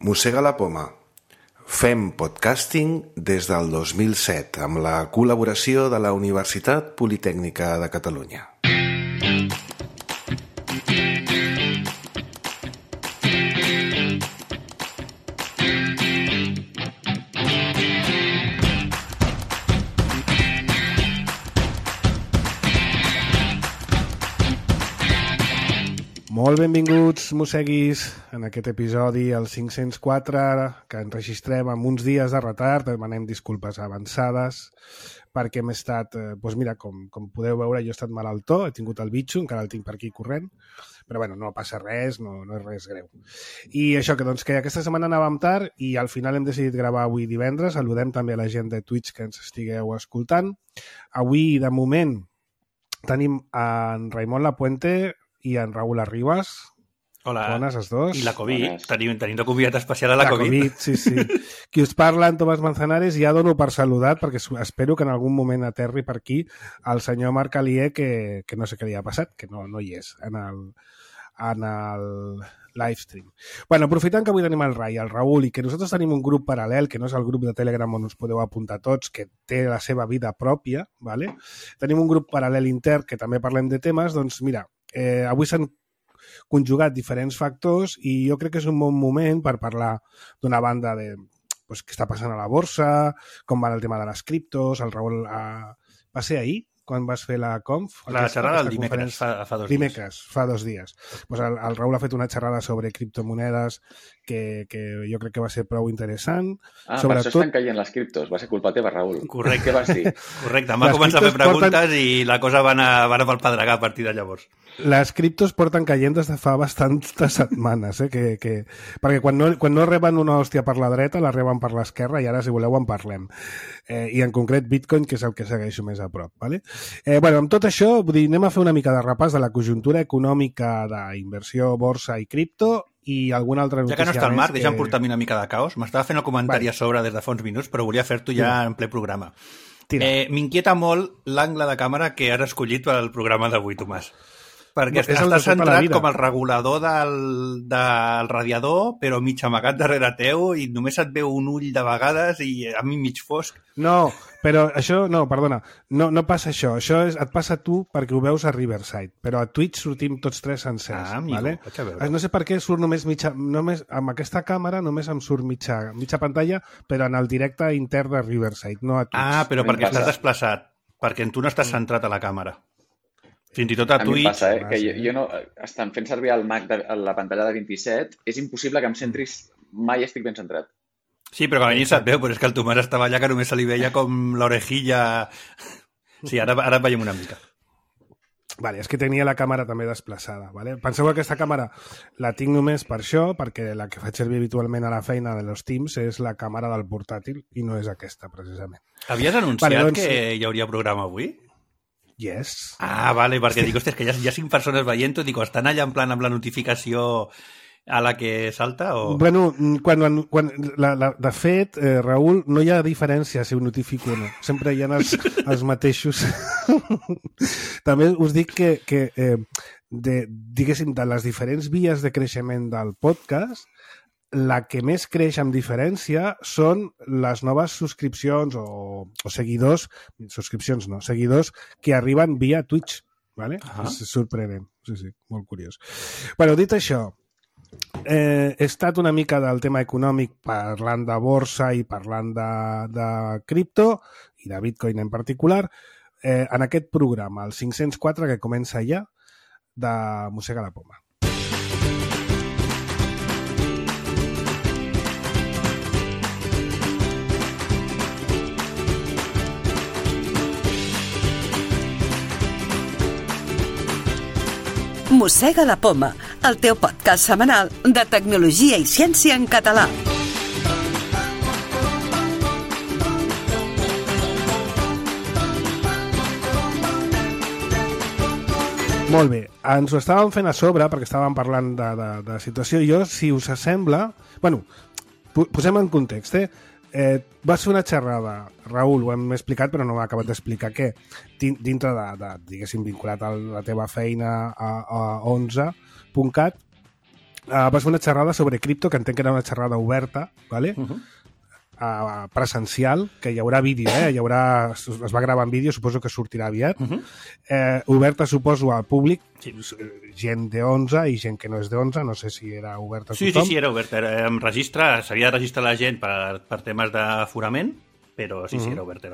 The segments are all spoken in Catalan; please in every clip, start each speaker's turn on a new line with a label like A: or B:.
A: Mossega la poma. Fem podcasting des del 2007 amb la col·laboració de la Universitat Politècnica de Catalunya.
B: Molt benvinguts, mosseguis, en aquest episodi, el 504, que enregistrem amb uns dies de retard. Demanem disculpes avançades, perquè hem estat... Doncs mira, com podeu veure, jo he estat malaltó, he tingut el bitxo, encara el tinc per aquí corrent, però bueno, no passa res, no és res greu. I això, que aquesta setmana anàvem tard i al final hem decidit gravar avui divendres. Saludem també a la gent de Twitch que ens estigueu escoltant. Avui, de moment, tenim en Raimon Lapuente i en Raúl Arribas.
C: Hola.
B: Bones, els dos.
C: I la Covid. Tenim de convidat especial a la Covid.
B: Sí. Qui us parla, en Tomàs Manzanares, ja dono per saludat, perquè espero que en algun moment aterri per aquí el senyor Marc Alier, que no sé què li ha passat, que no hi és en el livestream. Bueno, aprofitant que avui tenim el Rai, el Raúl, i que nosaltres tenim un grup paral·lel, que no és el grup de Telegram on us podeu apuntar tots, que té la seva vida pròpia, ¿vale? Tenim un grup paral·lel intern que també parlem de temes, doncs mira, avui s'han conjugat diferents factors i jo crec que és un bon moment per parlar d'una banda de què està passant a la borsa, com va el tema de les criptos. El Raül va ser ahir, quan vas fer la conf?
C: La xerrada el dimecres, fa 2 dies.
B: Dimecres, fa 2 dies. Pues el Raül ha fet una xerrada sobre criptomonedes que jo crec que va ser prou interessant.
D: Per això estan caient les criptos. Va ser culpa teva, Raül.
C: Correcte.
D: Què vas dir?
C: Correcte. Em va començar a fer preguntes i la cosa va anar pel pedregar a partir de llavors.
B: Les criptos porten caient des de fa bastantes setmanes, perquè quan no reben una hòstia per la dreta, la reben per l'esquerra, i ara, si voleu, en parlem. I en concret Bitcoin, que és el que segueixo més a prop. ¿Vale? Amb tot això, anem a fer una mica de repàs de la conjuntura econòmica d'inversió, borsa i cripto, i alguna altra notícia.
C: Ja que no està el Marc, deixa'm portar-me una mica de caos. M'estava fent el comentari a sobre des de fa uns minuts, però volia fer-t'ho ja en ple programa. M'inquieta molt l'angle de càmera que has escollit per al programa d'avui, Tomàs. Perquè estàs centrat com el regulador del radiador, però mig amagat darrere teu i només et veu un ull de vegades i a mi mig fosc.
B: No, però això, perdona, no passa això. Això et passa a tu perquè ho veus a Riverside, però a Twitch sortim tots tres sencers.
C: Amigo,
B: ¿vale?
C: vaig a veure.
B: No sé per què surt només amb aquesta càmera només em surt mitja pantalla, però en el directe intern de Riverside, no a Twitch.
C: Però perquè estàs desplaçat, perquè tu no estàs centrat a la càmera. Fins i tot a Twitch...
D: A mi em passa, que jo no... Estan fent servir el Mac a la pantalla de 27, és impossible que em centris... Mai estic ben centrat.
C: Sí, però quan a mi se't veu, però és que el Tomàs estava allà que només se li veia com l'orejilla... Sí, ara et veiem una mica.
B: Vale, és que tenia la càmera també desplaçada. Vale? Penseu que aquesta càmera la tinc només per això, perquè la que faig servir habitualment a la feina de los Teams és la càmera del portàtil i no és aquesta, precisament.
C: Havies anunciat que hi hauria programa avui?
B: Yes.
C: Vale, perquè dic, hòstia, és que hi ha 5 persones veient-ho, dic, estan allà en plan amb la notificació a la que salta o...
B: Bueno, de fet, Raül, no hi ha diferència si ho notifico o no. Sempre hi ha els mateixos. També us dic que diguéssim, de les diferents vies de creixement del podcast, la que més creix amb diferència són les noves subscripcions o seguidors, seguidors que arriben via Twitch, ¿vale? És sorprenent, sí, molt curiós. Bueno, dit això, he estat una mica del tema econòmic parlant de borsa i parlant de cripto i de Bitcoin en particular en aquest programa, el 504, que comença ja, de Mossega la poma.
E: Mossega la poma, el teu podcast setmanal de tecnologia i ciència en català.
B: Molt bé, ens ho estàvem fent a sobre perquè estàvem parlant de situació. Jo, si us sembla... Bueno, posem en context, vas fer una xerrada, Raül, ho hem explicat però no m'ha acabat d'explicar què, dintre diguéssim, vinculat a la teva feina a 11.cat, vas fer una xerrada sobre cripto, que entenc que era una xerrada oberta, ¿vale? Presencial, que hi haurà vídeo, es va gravar en vídeo, suposo que sortirà aviat. Oberta, suposo, al públic, gent de 11 i gent que no és de 11, no sé si era oberta a tothom.
C: Sí, era oberta. S'havia de registrar la gent per temes d'aforament, però sí, era oberta.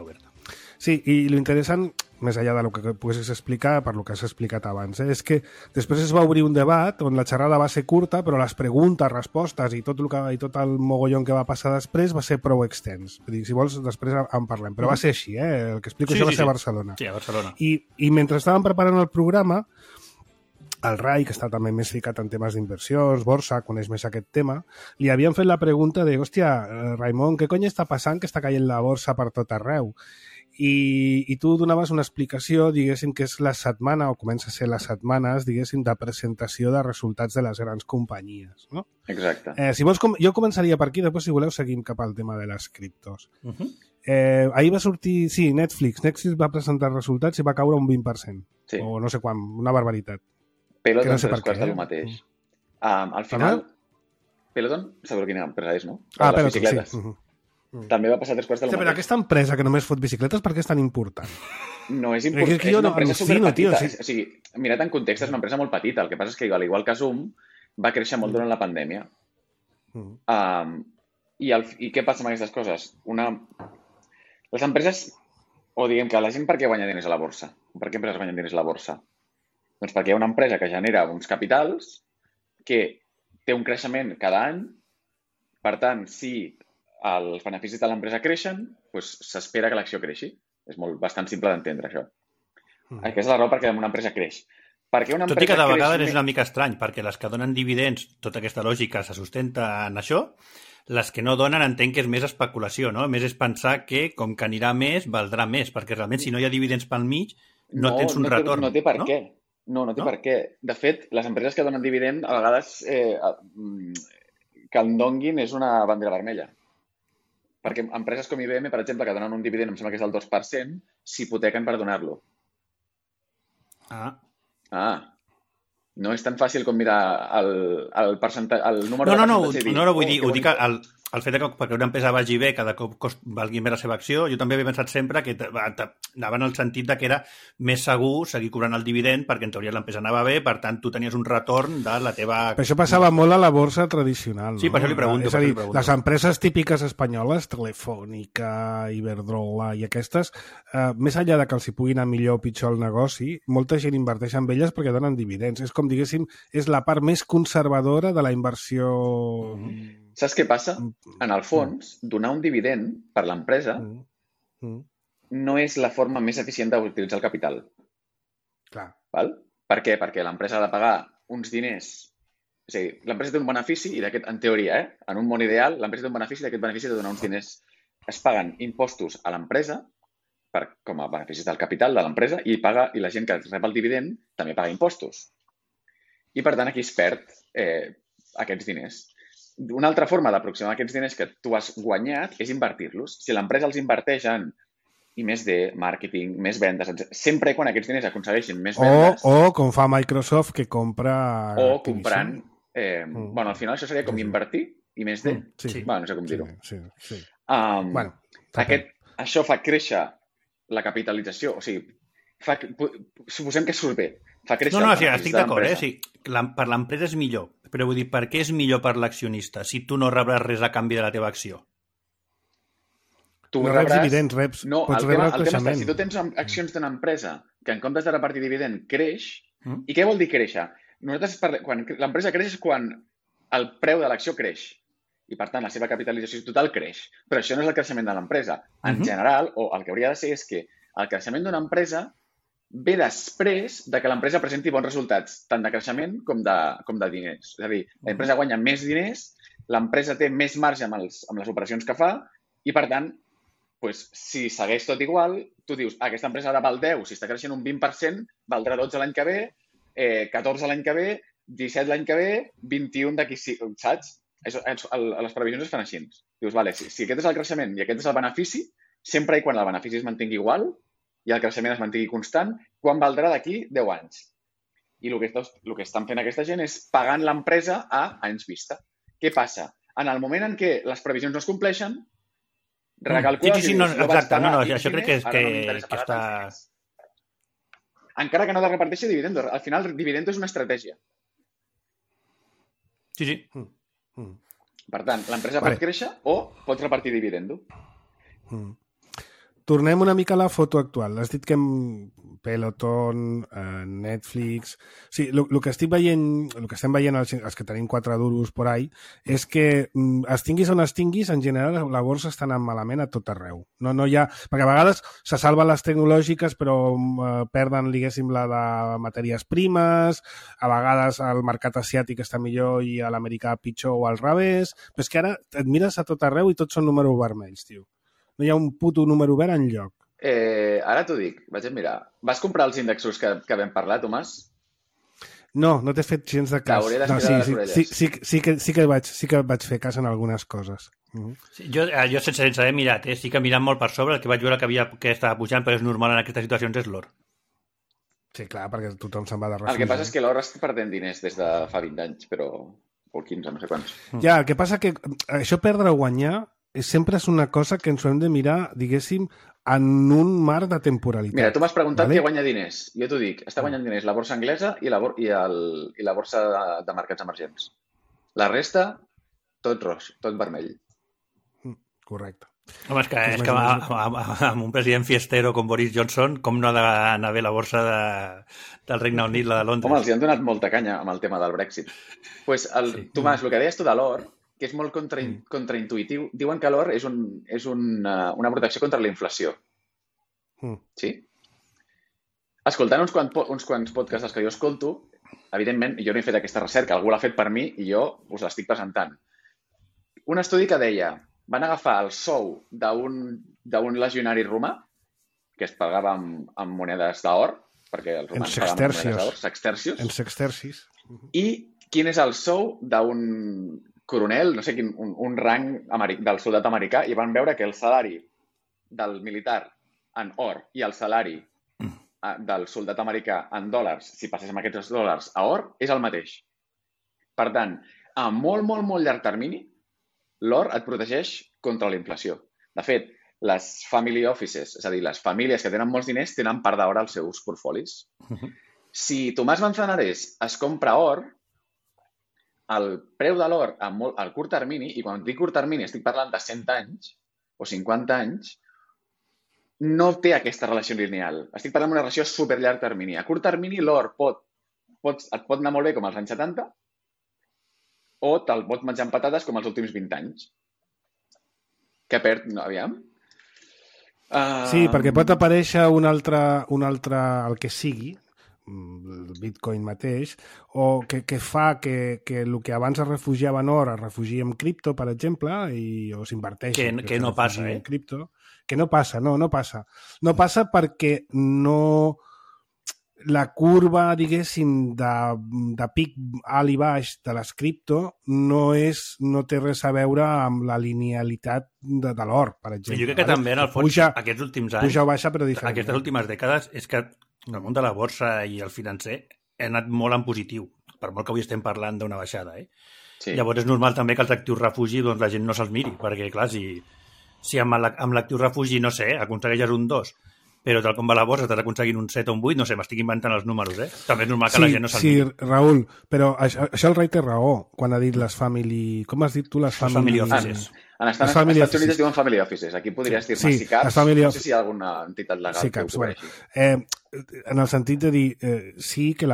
B: Sí, i l'interessant, més enllà del que poguessis explicar, per lo que has explicat abans, és que després es va obrir un debat on la xerrada va ser curta, però les preguntes, respostes i tot el mogollon que va passar després va ser prou extens. Vull dir, si vols, després en parlem. Però va ser així, El que explico això va ser a Barcelona.
C: Sí, a Barcelona.
B: I mentre estàvem preparant el programa, el Rai, que està també més ficat en temes d'inversions, borsa, coneix més aquest tema, li havien fet la pregunta de, hòstia, Raimon, què cony està passant que està caient la borsa per tot arreu? I tu donaves una explicació, diguéssim, que és la setmana, o comença a ser les setmanes, diguéssim, de presentació de resultats de les grans companyies, no?
D: Exacte.
B: Si vols, jo començaria per aquí, després, si voleu, seguim cap al tema de les criptos. Ahir va sortir, sí, Netflix va presentar resultats i va caure un 20%.
D: Sí.
B: O no sé quan, una barbaritat.
D: Peloton no sé costa el mateix. Al final, Peloton, sabeu quina empresa és, no?
B: Peloton, sí.
D: També va passar 3 quarts de lo mateix.
B: Però aquesta empresa que només fot bicicletes, per què és tan important?
D: No és important, és una empresa superpetita. O sigui, mirat en context, és una empresa molt petita. El que passa és que, igual que Zoom, va créixer molt durant la pandèmia. I què passa amb aquestes coses? Les empreses, o diguem que la gent per què guanya diners a la borsa? Per què empreses guanyen diners a la borsa? Doncs perquè hi ha una empresa que genera uns capitals que té un creixement cada any. Per tant, si els beneficis de l'empresa creixen, doncs s'espera que l'acció creixi. És bastant simple d'entendre, això. Aquesta és la raó perquè una empresa creix. Tot
C: i que de vegades és una mica estrany, perquè les que donen dividends, tota aquesta lògica se sustenta en això, les que no donen entenc que és més especulació, no? Més és pensar que, com que anirà més, valdrà més, perquè realment si no hi ha dividends pel mig, no tens un retorn.
D: No té per què. No té per què. De fet, les empreses que donen dividend, a vegades que en donguin és una bandera vermella. Perquè empreses com IBM, per exemple, que donen un dividend, em sembla que és del 2%, s'hipotequen per donar-lo. No és tan fàcil com mirar el percentatge, el número de percentatge.
C: No, vull dir, ho dic el fet que perquè una empresa vagi bé, cada cop valgui més la seva acció, jo també havia pensat sempre que anava en el sentit que era més segur seguir cobrant el dividend perquè en teoria l'empresa anava bé, per tant tu tenies un retorn de la teva...
B: Però això passava molt a la borsa tradicional, no?
C: Sí, per això li pregunto.
B: És a dir, les empreses típiques espanyoles, Telefònica, Iberdrola i aquestes, més enllà de que els hi pugui anar millor o pitjor el negoci, molta gent inverteix en elles perquè donen dividends. És com, diguéssim, és la part més conservadora de la inversió...
D: Saps què passa? En el fons, donar un dividend per l'empresa no és la forma més eficient d'utilitzar el capital.
B: Clar.
D: Val? Per què? Perquè l'empresa ha de pagar uns diners. És a dir, l'empresa té un benefici i d'aquest, en teoria, en un món ideal, l'empresa té un benefici i d'aquest benefici ha de donar uns diners. Es paguen impostos a l'empresa com a beneficis del capital de l'empresa i la gent que rep el dividend també paga impostos. I, per tant, aquí es perd aquests diners. Una altra forma d'aproximar aquests diners que tu has guanyat és invertir-los. Si l'empresa els inverteix en I+D, màrqueting, més vendes, sempre quan aquests diners aconsegueixin més vendes...
B: O com fa Microsoft, que compra...
D: O comprant... Bueno, al final això seria com invertir I+D.
B: Sí.
D: Bueno, no sé com dir-ho.
B: Sí.
D: Això fa créixer la capitalització. O sigui, suposem que surt bé. Fa créixer
C: estic d'acord, sí. Per l'empresa és millor, però vull dir, per què és millor per l'accionista si tu no rebràs res a canvi de la teva acció?
B: Tu no reps dividends, pots rebre el creixement.
D: Si tu tens accions d'una empresa que en comptes de repartir dividend creix, i què vol dir créixer? Quan l'empresa creix és quan el preu de l'acció creix i, per tant, la seva capitalització total creix. Però això no és el creixement de l'empresa. En general, o el que hauria de ser és que el creixement d'una empresa ve després de que l'empresa presenti bons resultats, tant de creixement com de diners. És a dir, l'empresa guanya més diners, l'empresa té més marge amb les operacions que fa i, per tant, si segueix tot igual, tu dius, aquesta empresa ara val 10, si està creixent un 20%, valdrà 12 l'any que ve, 14 l'any que ve, 17 l'any que ve, 21 d'aquí, saps? Les previsions es fan així. Dius, vale, si aquest és el creixement i aquest és el benefici, sempre i quan el benefici es mantingui igual i el creixement es mantingui constant, quan valdrà d'aquí 10 anys. I el que estan fent aquesta gent és pagant l'empresa a anys vista. Què passa? En el moment en què les previsions no es compleixen, recalcules
C: sí, no, exacte, això crec que està...
D: Encara que no te reparteixi dividendo. Al final, el dividendo és una estratègia.
C: Sí.
D: Per tant, l'empresa pot créixer o pot repartir dividendo.
B: Tornem una mica a la foto actual. Has dit que Peloton, Netflix... Sí, el que estic veient, el que estem veient els que tenim 4 duros por ahí, és que es tinguis on es tinguis, en general la borsa està anant malament a tot arreu. No hi ha... Perquè a vegades se salven les tecnològiques però perden, diguéssim, la de matèries primes, a vegades el mercat asiàtic està millor i l'americà pitjor o al revés, però és que ara et mires a tot arreu i tots són números vermells, tio. No hi ha un puto número verd enlloc.
D: Ara t'ho dic, vaig a mirar. Vas comprar els índexos que vam parlar, Tomàs?
B: No t'he fet gens de cas.
D: T'hauré d'estirar les orelles.
B: Sí que vaig fer cas en algunes coses.
C: Sí, jo sense haver mirat, sí que mirant molt per sobre, el que vaig veure que estava pujant, però és normal en aquestes situacions, és l'or.
B: Sí, clar, perquè tothom se'n va de refugi.
D: El que passa és que l'or està perdent diners des de fa 20 anys, però... o 15, no sé quants.
B: Ja, el que passa que això perdre o guanyar sempre és una cosa que ens ho hem de mirar, diguéssim, en un marc de temporalitat.
D: Mira, tu m'has preguntat què guanya diners. Jo t'ho dic, està guanyant diners la borsa anglesa i la borsa de mercats emergents. La resta, tot roig, tot vermell.
B: Correcte.
C: Home, és que amb un president fiestero com Boris Johnson, com no ha d'anar bé la borsa del Regne Unit, la de Londres?
D: Home, els hi han donat molta canya amb el tema del Brexit. Pues Tomàs, el que deies tu de l'or, que és molt contraintuïtiu, diuen que l'or és una protecció contra la inflació. Sí? Escoltant uns quants podcasts dels que jo escolto, evidentment, jo no he fet aquesta recerca, algú l'ha fet per mi i jo us l'estic presentant. Un estudi que deia, van agafar el sou d'un legionari romà, que es pagava amb monedes d'or, perquè els romans pagaven amb monedes d'or, sextercios.
B: En sextercis.
D: I quin és el sou d'un coronel, no sé quin, un rang del soldat americà, i van veure que el salari del militar en or i el salari del soldat americà en dòlars, si passéssim aquests dòlars a or, és el mateix. Per tant, a molt, molt, molt llarg termini, l'or et protegeix contra la inflació. De fet, les family offices, és a dir, les famílies que tenen molts diners, tenen part d'or als seus portfolis. Si Tomàs Manzanares es compra or, el preu de l'or al curt termini, i quan dic curt termini estic parlant de 100 anys o 50 anys, no té aquesta relació lineal. Estic parlant d'una relació a superllarg termini. A curt termini l'or et pot anar molt bé com als anys 70 o te'l pot menjar amb patates com els últims 20 anys. Que perd... No, aviam.
B: Sí, perquè pot aparèixer un altre el que sigui, el Bitcoin mateix, o que fa que el que abans es refugiava en or es refugi en cripto, per exemple, o s'inverteixi.
C: Que no passa,
B: en cripto. Que no passa, no passa. No passa perquè no... La curva, diguéssim, de pic alt i baix de les cripto no té res a veure amb la linealitat de l'or, per exemple.
C: Jo crec que també, en el fons, aquests últims anys...
B: Puja o baixa, però diferent.
C: Aquestes últimes dècades és que el món de la borsa i el financer ha anat molt en positiu, per molt que avui estem parlant d'una baixada. Sí. Llavors és normal també que els actius refugi la gent no se'ls miri, perquè clar, si amb l'actiu refugi, no sé, aconsegueixes un 2, però tal com va la borsa estàs aconseguint un 7 o un 8, no sé, m'estic inventant els números, També és normal que la gent no se'ls miri.
B: Sí, Raül, però això el Rai té raó, quan ha dit les family... Com has dit tu? Les family
D: offices. En Estats Units es diuen family offices. Aquí podries dir-ne SICAPs, no sé si hi ha alguna entitat legal que ho cobreixi.
B: En el sentit de dir, sí que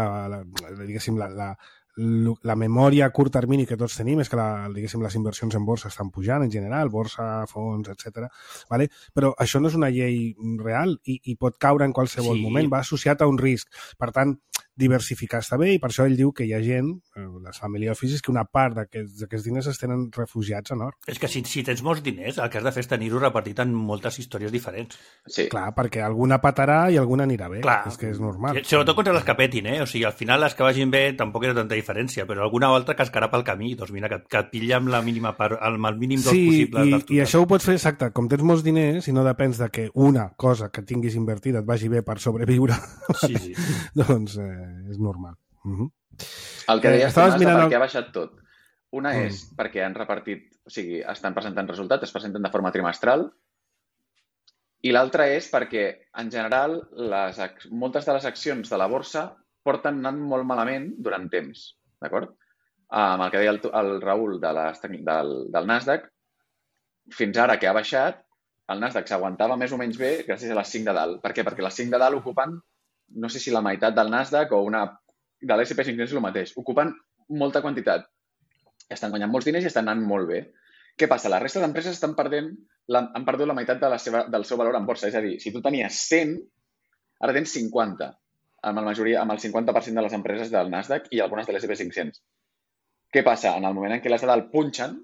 B: diguéssim, la memòria a curt termini que tots tenim és que diguéssim, les inversions en borsa estan pujant en general, borsa, fons, etc. Vale? Però això no és una llei real i pot caure en qualsevol moment, va associat a un risc. Per tant, diversificar està bé i per això ell diu que hi ha gent, les family offices, que una part d'aquests diners es tenen refugiats en or.
C: És que si tens molts diners, el que has de fer és tenir-ho repartit en moltes històries diferents.
B: Sí. Clar, perquè alguna patarà i alguna anirà bé. Clar. És que és normal.
C: Sobretot contra les que petin, O sigui, al final les que vagin bé tampoc era tanta diferència, però alguna altra cascarà pel camí. Doncs mira, que et pilla amb la mínima part, amb el mínim dos possible.
B: I això ho pots fer, exacte, com tens molts diners i no depens de que una cosa que tinguis invertida et vagi bé per sobreviure, doncs és normal.
D: El que deies tu, per què ha baixat tot. Una és perquè han repartit, o sigui, estan presentant resultats, es presenten de forma trimestral, i l'altra és perquè, en general, moltes de les accions de la borsa porten anant molt malament durant temps, d'acord? Amb el que deia el Raül del Nasdaq, fins ara que ha baixat, el Nasdaq s'aguantava més o menys bé gràcies a les 5 de dalt. Per què? Perquè les 5 de dalt ocupen, no sé si la meitat del Nasdaq o de l'S&P 500 és el mateix. Ocupen molta quantitat. Estan guanyant molts diners i estan anant molt bé. Què passa? La resta d'empreses han perdut la meitat del seu valor en borsa. És a dir, si tu tenies 100, ara tens 50, amb el 50% de les empreses del Nasdaq i algunes de l'S&P 500. Què passa? En el moment en què les de dalt punxen,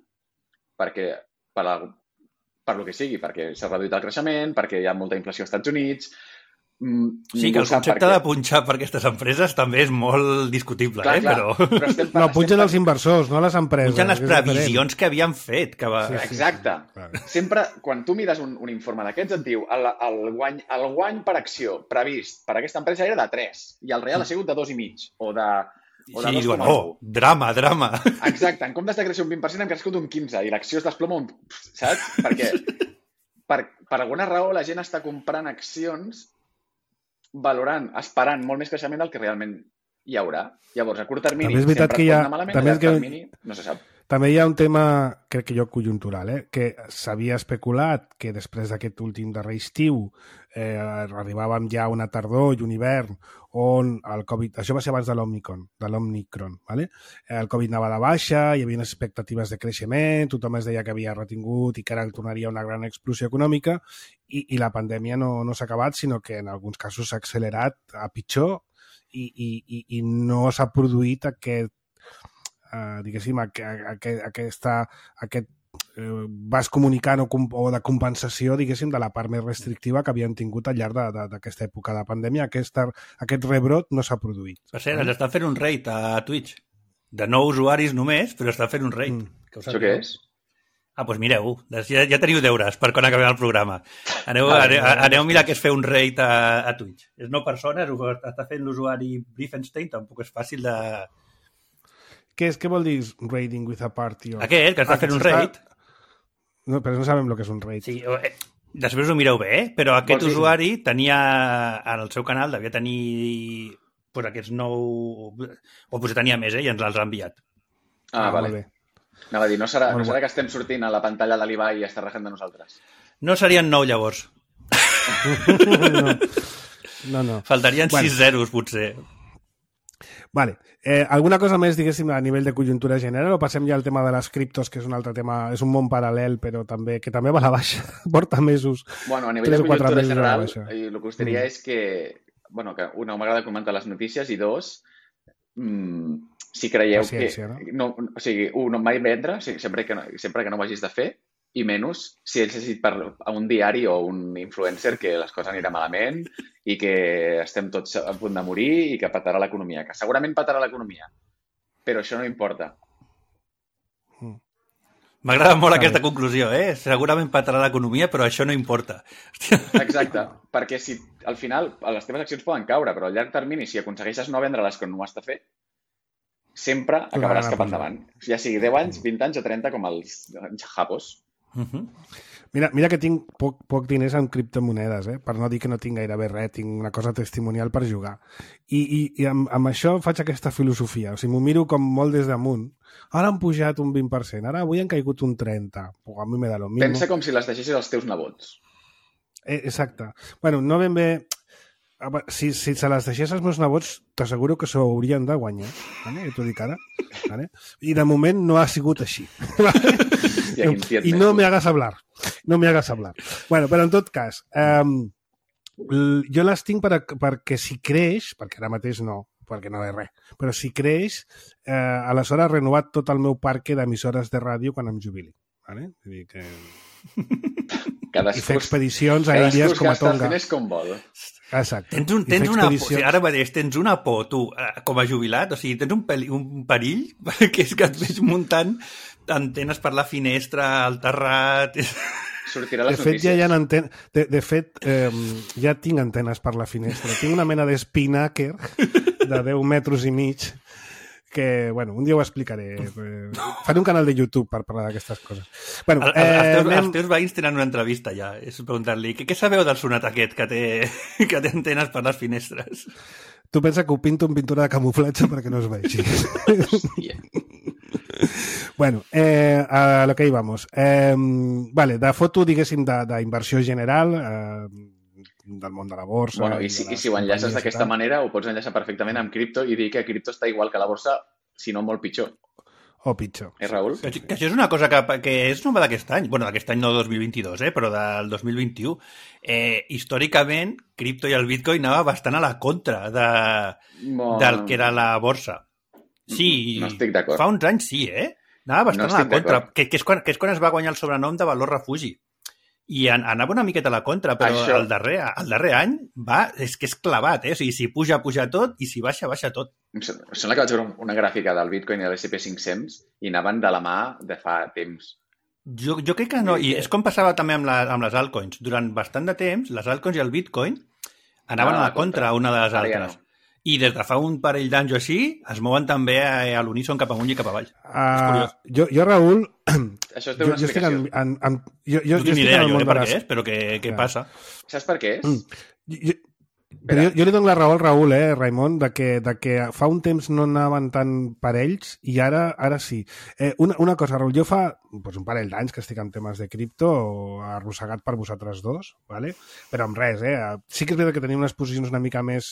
D: perquè per lo que sigui, perquè s'ha reduït el creixement, perquè hi ha molta inflació als Estats Units...
C: Sí, que el concepte de punxar per aquestes empreses també és molt discutible,
D: clar,
C: però...
B: No, punxen els inversors, no les empreses.
C: Punxen les previsions que havien fet.
D: Exacte. Sempre, quan tu mires un informe d'aquests, et diu el guany per acció previst per aquesta empresa era de 3 i el real ha sigut de 2,5 o de 2,9.
C: Drama.
D: Exacte. En comptes de créixer un 20%, hem crescut un 15% i l'acció es desploma saps? Perquè per alguna raó la gent està comprant accions esperant molt més creixement del que realment hi haurà. Llavors, a curt termini sempre es pot anar malament, a llarg termini no se sap.
B: També hi ha un tema, crec que conjuntural, que s'havia especulat que després d'aquest últim darrer estiu arribàvem ja a una tardor i un hivern on el Covid... Això va ser abans de l'Omicron, ¿vale? El Covid anava de baixa, hi havia unes expectatives de creixement, tothom es deia que havia retingut i que ara tornaria una gran explosió econòmica i la pandèmia no s'ha acabat, sinó que en alguns casos s'ha accelerat a pitjor i no s'ha produït aquest diguéssim, aquest vas comunicant o de compensació, diguéssim, de la part més restrictiva que havien tingut al llarg d'aquesta època de pandèmia. Aquest rebrot no s'ha produït.
C: Per cert, ens estan fent un raid a Twitch. De 9 usuaris només, però estan fent un raid.
D: Això què és?
C: Doncs mireu, ja teniu deures per quan acabem el programa. Aneu a mirar què és fer un raid a Twitch. És 9 persones, ho està fent l'usuari Briefenstein, tampoc és fàcil de...
B: Què vol dir raiding with a party?
C: Aquest, que està fent un raid.
B: No, però no sabem el que és un raid.
C: Sí, després ho mireu bé, però aquest usuari tenia, en el seu canal, devia tenir aquests 9... O potser tenia més, i ens els ha enviat.
D: Vale. Anava a dir, no serà que estem sortint a la pantalla de l'Ibai i està rajant de nosaltres?
C: No serien 9, llavors.
B: No.
C: Faltarien 6 zeros, potser.
B: Vale. Alguna cosa més, diguéssim, a nivell de conjuntura general o passem ja al tema de les criptos, que és un altre tema, és un món paral·lel, però també va a la baixa, porta mesos.
D: Bueno, a nivell de conjuntura general, el que us diria és que, que una, m'agrada comentar les notícies i dos, si creieu no, o sigui, no mai vendre, sempre que no ho hagis de fer, i menys si ets llegit a un diari o un influencer que les coses aniran malament i que estem tots a punt de morir i que petarà l'economia. Que segurament petarà l'economia, però això no importa.
C: M'agrada molt aquesta conclusió, Segurament petarà l'economia, però això no importa.
D: Exacte, perquè si al final les teves accions poden caure, però a llarg termini, si aconsegueixes no vendre-les quan no ho has de fer, sempre acabaràs cap endavant. Ja sigui 10 anys, 20 anys o 30 com els japos.
B: Mira que tinc poc diners en criptomonedes, per no dir que no tinc gairebé res, tinc una cosa testimonial per jugar. I amb això faig aquesta filosofia, o sigui, m'ho miro com molt des damunt. Ara han pujat un 20%, ara avui han caigut un 30%. Pues a mi me da lo mismo.
D: Pensa com si les deixessis als teus nebots.
B: Exacte. Bueno, no ben bé... Si se les deixés als meus nebots, t'asseguro que s'ho haurien de guanyar. Vale? T'ho dic ara. Vale? I de moment no ha sigut així. I no me hagas hablar. Bueno, però en tot cas, jo les tinc perquè si creix, perquè ara mateix no, perquè no és res, però si creix, aleshores he renovat tot el meu parc d'emissores de ràdio quan em jubili. Vale? Vull dir que... I fer expedicions aèries com a Tonga.
D: Cadascú com vol.
B: Exacte.
C: Ara mateix tens una por, tu, com a jubilat, o sigui, tens un perill que és que et veig muntant antenes per la finestra, al terrat...
D: Sortirà les
B: notícies. De fet, ja tinc antenes per la finestra. Tinc una mena d'espinàquer de 10 metres i mig, que, bueno, un dia ho explicaré. Faré un canal de YouTube per parlar d'aquestes coses. Bueno,
C: els teus veïns tenen una entrevista ja, és preguntar-li, què sabeu del sonat aquest que té antenes per les finestres?
B: Tu pensa que ho pinto en pintura de camuflatge perquè no es vegi.
D: Hòstia.
B: Bueno, a lo que íbamos. Vale, de foto, diguéssim, d'inversió general, del món de la borsa...
D: Bueno, i si ho enllaces d'aquesta manera, ho pots enllaçar perfectament amb cripto i dir que cripto està igual que la borsa, si no molt pitjor.
B: O pitjor.
D: Raül?
C: Que això és una cosa que és nova d'aquest any. Bueno, d'aquest any no 2022, però del 2021. Històricament, cripto i el Bitcoin anava bastant a la contra del que era la borsa. Sí,
D: no estic d'acord.
C: Fa uns anys sí, Anava bastant a la contra, que és quan es va guanyar el sobrenom de valor refugi. I anava una miqueta a la contra, però el darrer any és que és clavat, O sigui, si puja tot, i si baixa tot.
D: Em sembla que vaig veure una gràfica del Bitcoin i de l'SP500 i anaven de la mà de fa temps.
C: Jo crec que no, i és com passava també amb les altcoins. Durant bastant de temps, les altcoins i el Bitcoin anaven a la contra una de les altres. I des de fa un parell d'anys o així, es mouen també a l'uníson cap amunt i cap avall. És curiós.
B: Jo, Raül...
D: Això té una explicació.
C: No tinc ni idea jo per què és, però què passa.
D: Saps per què és?
B: Jo li dono la raó al Raül, Raimon, de que fa un temps no anaven tan parells i ara sí. Una cosa, Raül, jo fa un parell d'anys que estic en temes de cripto, arrossegat per vosaltres dos, ¿vale? Però amb res, Sí que és veritat que tenim unes posicions una mica més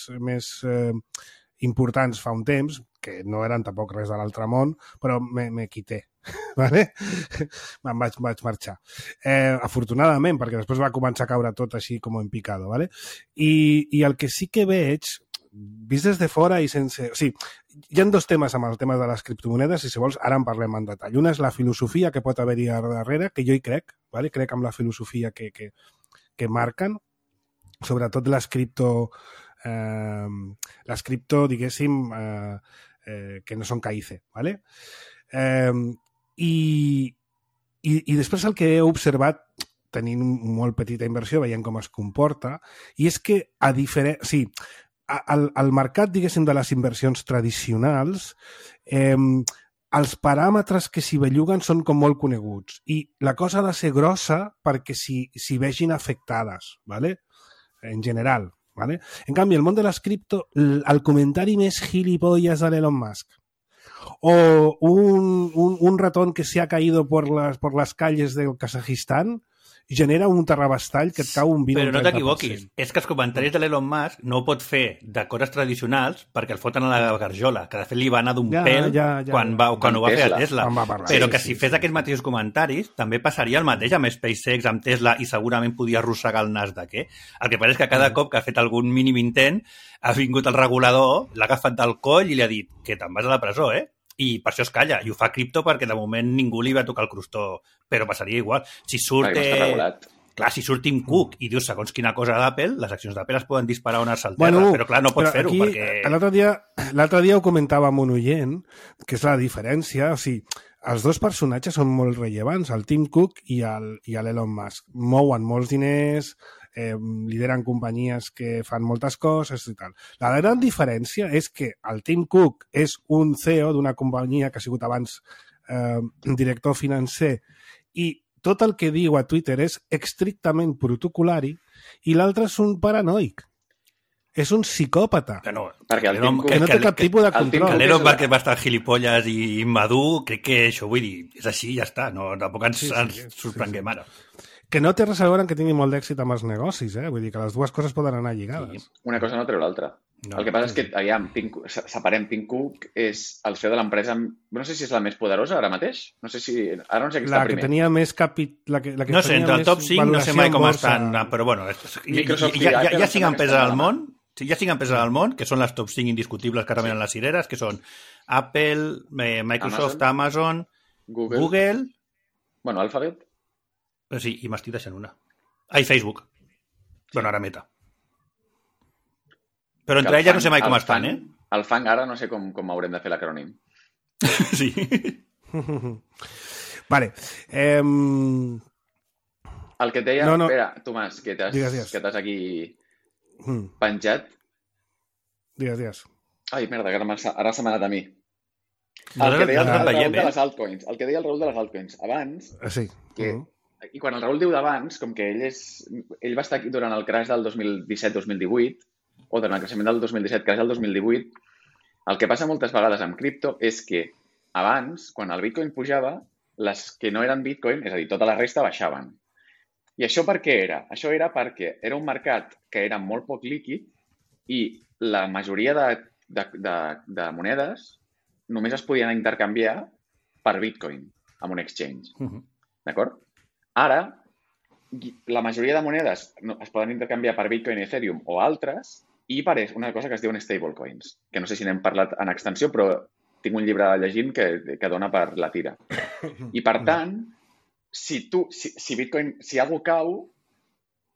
B: importants fa un temps, que no eren tampoc res de l'altre món, però me quité, ¿vale? Me'n vaig marxar. Afortunadament, perquè després va començar a caure tot així com en picado, ¿vale? I el que sí que veig, vist des de fora i sense... O sigui, hi ha dos temes amb el tema de les criptomonedes i si vols ara en parlem en detall. Una és la filosofia que pot haver-hi darrere, que jo hi crec, ¿vale? Crec en la filosofia que marquen, sobretot les cripto, diguéssim, que no són CAICE, ¿vale? I després el que he observat tenint molt petita inversió, veient com es comporta, i és que al mercat, diguéssim, de les inversions tradicionals, els paràmetres que s'hi belluguen són com molt coneguts i la cosa ha de ser grossa perquè s'hi vegin afectades, ¿vale? En general, ¿vale? En canvi, el món de les cripto, el comentari més gilipollas de l'Elon Musk o un ratón que se ha caído por las calles del Kazajistán genera un terrabastall que et cau un 20 o un 30%.
C: Però no t'equivoquis, és que els comentaris de l'Elon Musk no ho pot fer de coses tradicionals perquè el foten a la garjola, que de fet li va anar d'un pèl quan ho va fer a Tesla. Però que si fes aquests mateixos comentaris també passaria el mateix amb SpaceX, amb Tesla i segurament podia arrossegar el nas de què. El que passa és que cada cop que ha fet algun mínim intent ha vingut el regulador, l'ha agafat del coll i li ha dit que te'n vas a la presó, I per això es calla, i ho fa cripto perquè de moment ningú li va tocar el crostó, però passaria igual. Si surt Tim Cook i dius segons quina cosa d'Apple, les accions d'Apple es poden disparar on es salterra, però clar, no pots fer-ho perquè...
B: L'altre dia ho comentava amb un oient, que és la diferència, o sigui, els dos personatges són molt rellevants, el Tim Cook i l'Elon Musk. Mouen molts diners, lideren companyies que fan moltes coses i tal. La gran diferència és que el Tim Cook és un CEO d'una companyia que ha sigut abans director financer i tot el que diu a Twitter és estrictament protocolari i l'altre és un paranoic. És un psicòpata.
C: Que no
B: té cap tipus de control.
C: L'Elon Musk va estar gilipolles i immadur, crec que això, vull dir, és així i ja està. No, tampoc ens sorprenguem ara.
B: Que no té res a veure amb que tingui molt d'èxit amb els negocis, Vull dir que les dues coses poden anar lligades.
D: Sí. Una cosa no treu l'altra. El que passa és que, separem, Tim Cook és el CEO de l'empresa, no sé si és la més poderosa ara mateix, no sé si està primer.
B: La que tenia més
C: no sé, entre el top 5 no sé mai com estan, però bueno, hi ha 5 empreses al món, hi ha 5 empreses al món, que són les top 5 indiscutibles que ara venen les cireres, que són Apple, Microsoft, Amazon, Google...
D: Bueno, Alphabet.
C: Sí, i m'estic deixant una. Facebook. Bueno, ara Meta. Però entre elles no sé mai com estan,
D: El FANG ara no sé com haurem de fer l'acrònim.
C: Sí.
B: Vale.
D: El que et deia... Espera, Tomàs, que t'has aquí penjat.
B: Digues.
D: Ai, merda, que ara se m'ha anat a mi.
C: El que deia el Raül
D: de les altcoins. El que deia el Raül de les altcoins. Abans,
B: sí.
D: I quan el Raül diu d'abans, com que ell va estar aquí durant el crash del 2017-2018, o durant el creixement del 2017, crash del 2018, el que passa moltes vegades amb cripto és que abans, quan el Bitcoin pujava, les que no eren Bitcoin, és a dir, tota la resta baixaven. I això per què era? Això era perquè era un mercat que era molt poc líquid i la majoria de monedes només es podien intercanviar per Bitcoin amb un exchange. D'acord? Ara, la majoria de monedes es poden intercanviar per Bitcoin, Ethereum o altres i per una cosa que es diuen stablecoins, que no sé si n'hem parlat en extensió, però tinc un llibre llegint que dona per la tira. I, per tant, si Bitcoin, si algú cau,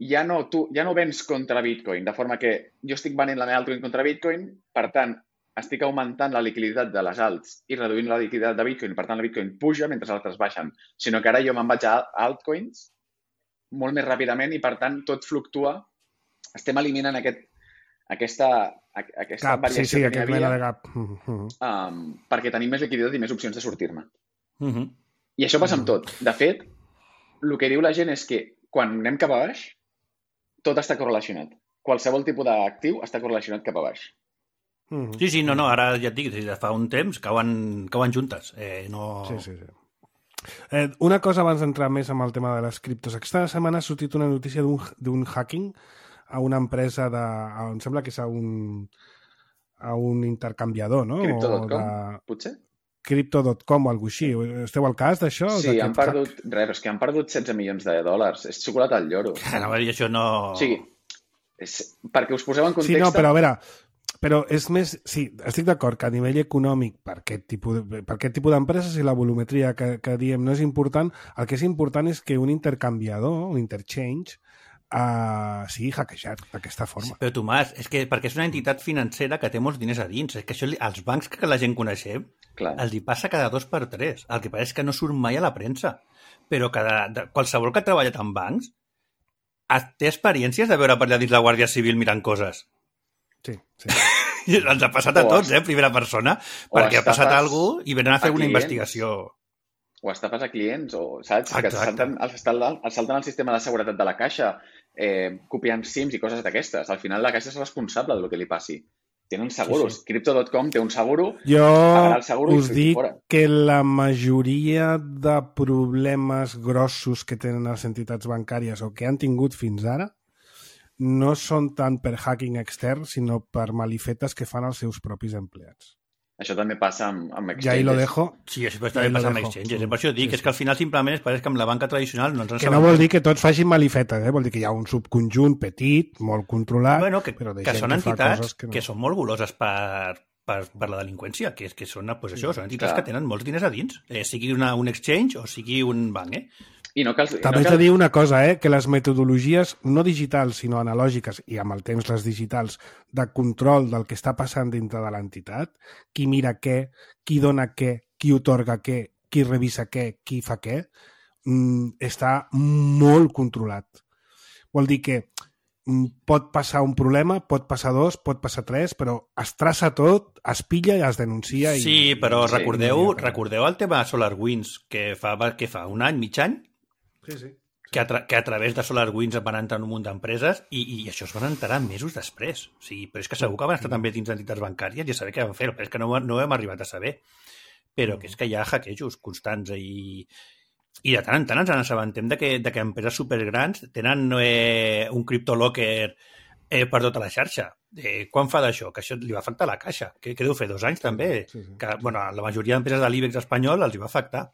D: ja no vens contra Bitcoin, de forma que jo estic venent la meva altcoin contra Bitcoin, per tant, estic augmentant la liquiditat de les alts i reduint la liquiditat de Bitcoin, per tant, la Bitcoin puja mentre les altres baixen, sinó que ara jo me'n vaig a altcoins molt més ràpidament i, per tant, tot fluctua. Estem eliminant aquesta variació que hi havia perquè tenim més liquiditat i més opcions de sortir-ne. I això passa amb tot. De fet, el que diu la gent és que quan anem cap a baix, tot està correlacionat. Qualsevol tipus d'actiu està correlacionat cap a baix.
C: Sí, no, ara ja et dic, fa un temps cauen juntes.
B: Sí. Una cosa abans d'entrar més amb el tema de les criptos. Aquesta setmana ha sortit una notícia d'un hacking a una empresa em sembla que és a un intercanviador, no?
D: Crypto.com, potser?
B: Crypto.com o alguna cosa així. Esteu al cas d'això?
D: Sí, han perdut 16 milions de dòlars. És xocolata al lloro.
C: No, i això no...
D: O sigui, perquè us poseu en context...
B: Sí, no, però a veure... Però és més... Sí, estic d'acord que a nivell econòmic per aquest tipus d'empreses i la volumetria que diem no és important. El que és important és que un intercanviador, un interchange, sigui hackejat d'aquesta forma.
C: Però, Tomàs, és que perquè és una entitat financera que té molts diners a dins. És que això, els bancs que la gent coneixem, els hi passa cada 2 per 3. El que passa és que no surt mai a la premsa. Però qualsevol que ha treballat en bancs té experiències de veure per allà dins la Guàrdia Civil mirant coses.
B: Sí.
C: Ens ha passat a tots, primera persona, perquè ha passat alguna cosa i venen a fer una investigació.
D: O estafes a clients, o saps? Que salten el sistema de seguretat de la caixa, copiant SIMs i coses d'aquestes. Al final la caixa és responsable del que li passi. Tenen seguros. Sí. Crypto.com té un seguro.
B: Jo us dic que la majoria de problemes grossos que tenen les entitats bancàries o que han tingut fins ara no són tant per hacking extern, sinó per malifetes que fan els seus propis empleats.
D: Això també passa amb exchanges.
B: Ja hi lo dejo.
C: Sí, això també passa amb exchanges. Per això dic, és que al final simplement es pareix que amb la banca tradicional no ens en
B: sabem. Que no vol dir que tots facin malifetes, vol dir que hi ha un subconjunt petit, molt controlat,
C: però de gent són entitats que són molt goloses per la delinqüència, que són, doncs això, són entitats que tenen molts diners a dins, sigui un exchange o sigui un banc,
B: També t'he de dir una cosa, que les metodologies no digitals, sinó analògiques, i amb el temps les digitals, de control del que està passant dintre de l'entitat, qui mira què, qui dona què, qui otorga què, qui revisa què, qui fa què, està molt controlat. Vol dir que pot passar un problema, pot passar 2, pot passar 3, però es traça tot, es pilla i es denuncia.
C: Sí, però recordeu el tema SolarWinds, que fa un any, mig any?
B: Sí.
C: Que a través de SolarWinds van entrar en un munt d'empreses i això es van enterar mesos després. O sigui, però és que segur que van estar també dins d'entitats bancàries i a saber què van fer, però és que no ho hem arribat a saber. Però que és que hi ha hackejos constants i de tant en tant ens assabentem de que empreses supergrans tenen un criptolocker per tota la xarxa. Quan fa d'això? Que això li va afectar a la caixa. Què deu fer? 2 anys també? Sí. Que, la majoria d'empreses de l'IBEX espanyol els hi va afectar.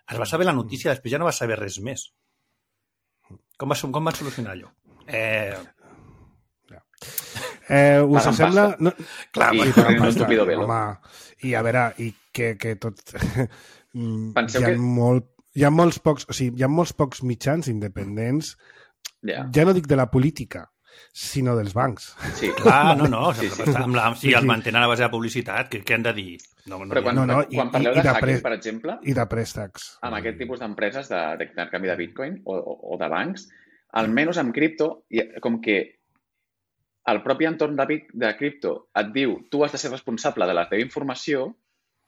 C: Es va saber la notícia, després ja no va saber res més. Com van solucionar allò?
B: Us sembla...
C: Clar,
B: i a veure, i que tot...
D: Penseu que...
B: Hi ha molts pocs mitjans independents, ja no dic de la política, sinó dels bancs.
D: Sí.
C: Clar, no. Si el mantenen a base de publicitat, què han de dir?
D: Però quan parleu de hacking, per exemple,
B: i de préstecs,
D: amb aquest tipus d'empreses d'intercanvi de Bitcoin o de bancs, almenys amb cripto, com que el propi entorn de cripto et diu tu has de ser responsable de la teva informació,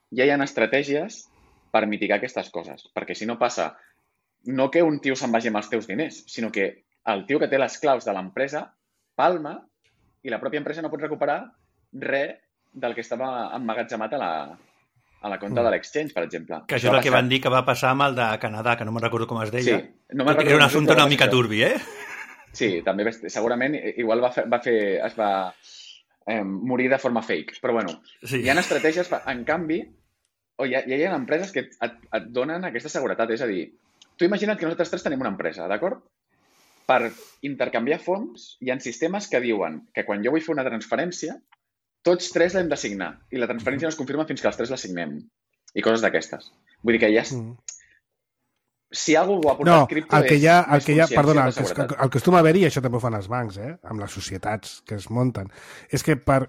D: ja hi ha estratègies per mitigar aquestes coses. Perquè si no passa, no que un tio se'n vagi amb els teus diners, sinó que el tio que té les claus de l'empresa palma i la pròpia empresa no pot recuperar res del que estava emmagatzemat a la compta de l'exchange, per exemple.
C: Que això és el que van dir que va passar amb el de Canadà, que no me'n recordo com es deia.
D: Sí, no me'n recordo.
C: Era un assumpte una mica turbi,
D: Sí, també segurament igual es va morir de forma fake. Però bueno, sí. Hi ha estratègies, en canvi, hi ha empreses que et donen aquesta seguretat. És a dir, tu imagina't que nosaltres tres tenim una empresa, d'acord? Per intercanviar fons, hi ha sistemes que diuen que quan jo vull fer una transferència, tots tres l'hem de signar i la transferència no es confirma fins que els tres la signem. I coses d'aquestes. Vull dir que ja... Si algú ho ha portat cripto
B: el que acostuma a haver-hi, i això també ho fan els bancs, amb les societats que es munten, és que per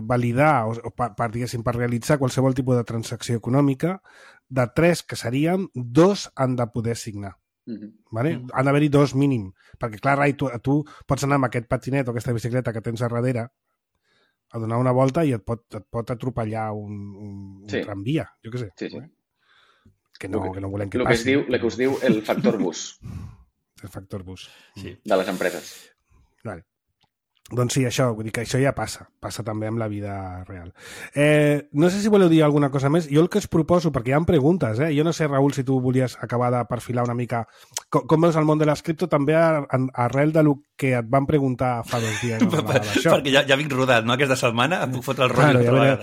B: validar o per realitzar qualsevol tipus de transacció econòmica, de 3 que seríem, 2 han de poder signar. Vale? Han d'haver-hi 2 mínim. Perquè, clar, Rai, tu pots anar amb aquest patinet o aquesta bicicleta que tens a darrere a donar una volta i et pot atropellar un tramvia, jo què sé.
D: Sí.
B: Que no volem que passi.
D: El que us diu el factor bus.
B: El factor bus.
D: Sí. De les empreses.
B: Vale. Doncs sí, això, vull dir que això ja passa també amb la vida real. No sé si voleu dir alguna cosa més. Jo el que us proposo, perquè hi ha preguntes, jo no sé, Raül, si tu volies acabar de perfilar una mica com veus el món de les cripto, també arrel del que et van preguntar fa 2 dies.
C: Perquè ja vinc rodat, no? Aquesta setmana em puc fotre el rotllo.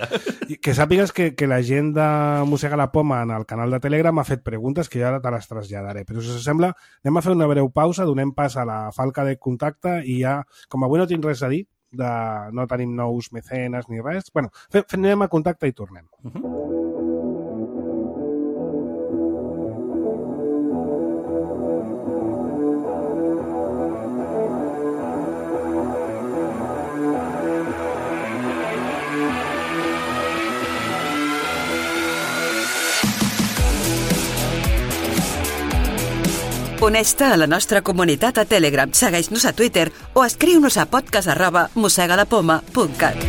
B: Que sàpigues que la gent de Mossega la Poma en el canal de Telegram ha fet preguntes que jo ara te les traslladaré. Però si us sembla, anem a fer una breu pausa, donem pas a la falca de contacte i ja, com avui no tinc res a dir, no tenim nous mecenes ni res, bueno, anem a contacte i tornem.
E: Uneix-te a la nostra comunitat a Telegram, segueix-nos a Twitter o escriu-nos a podcast@mossegalapoma.cat.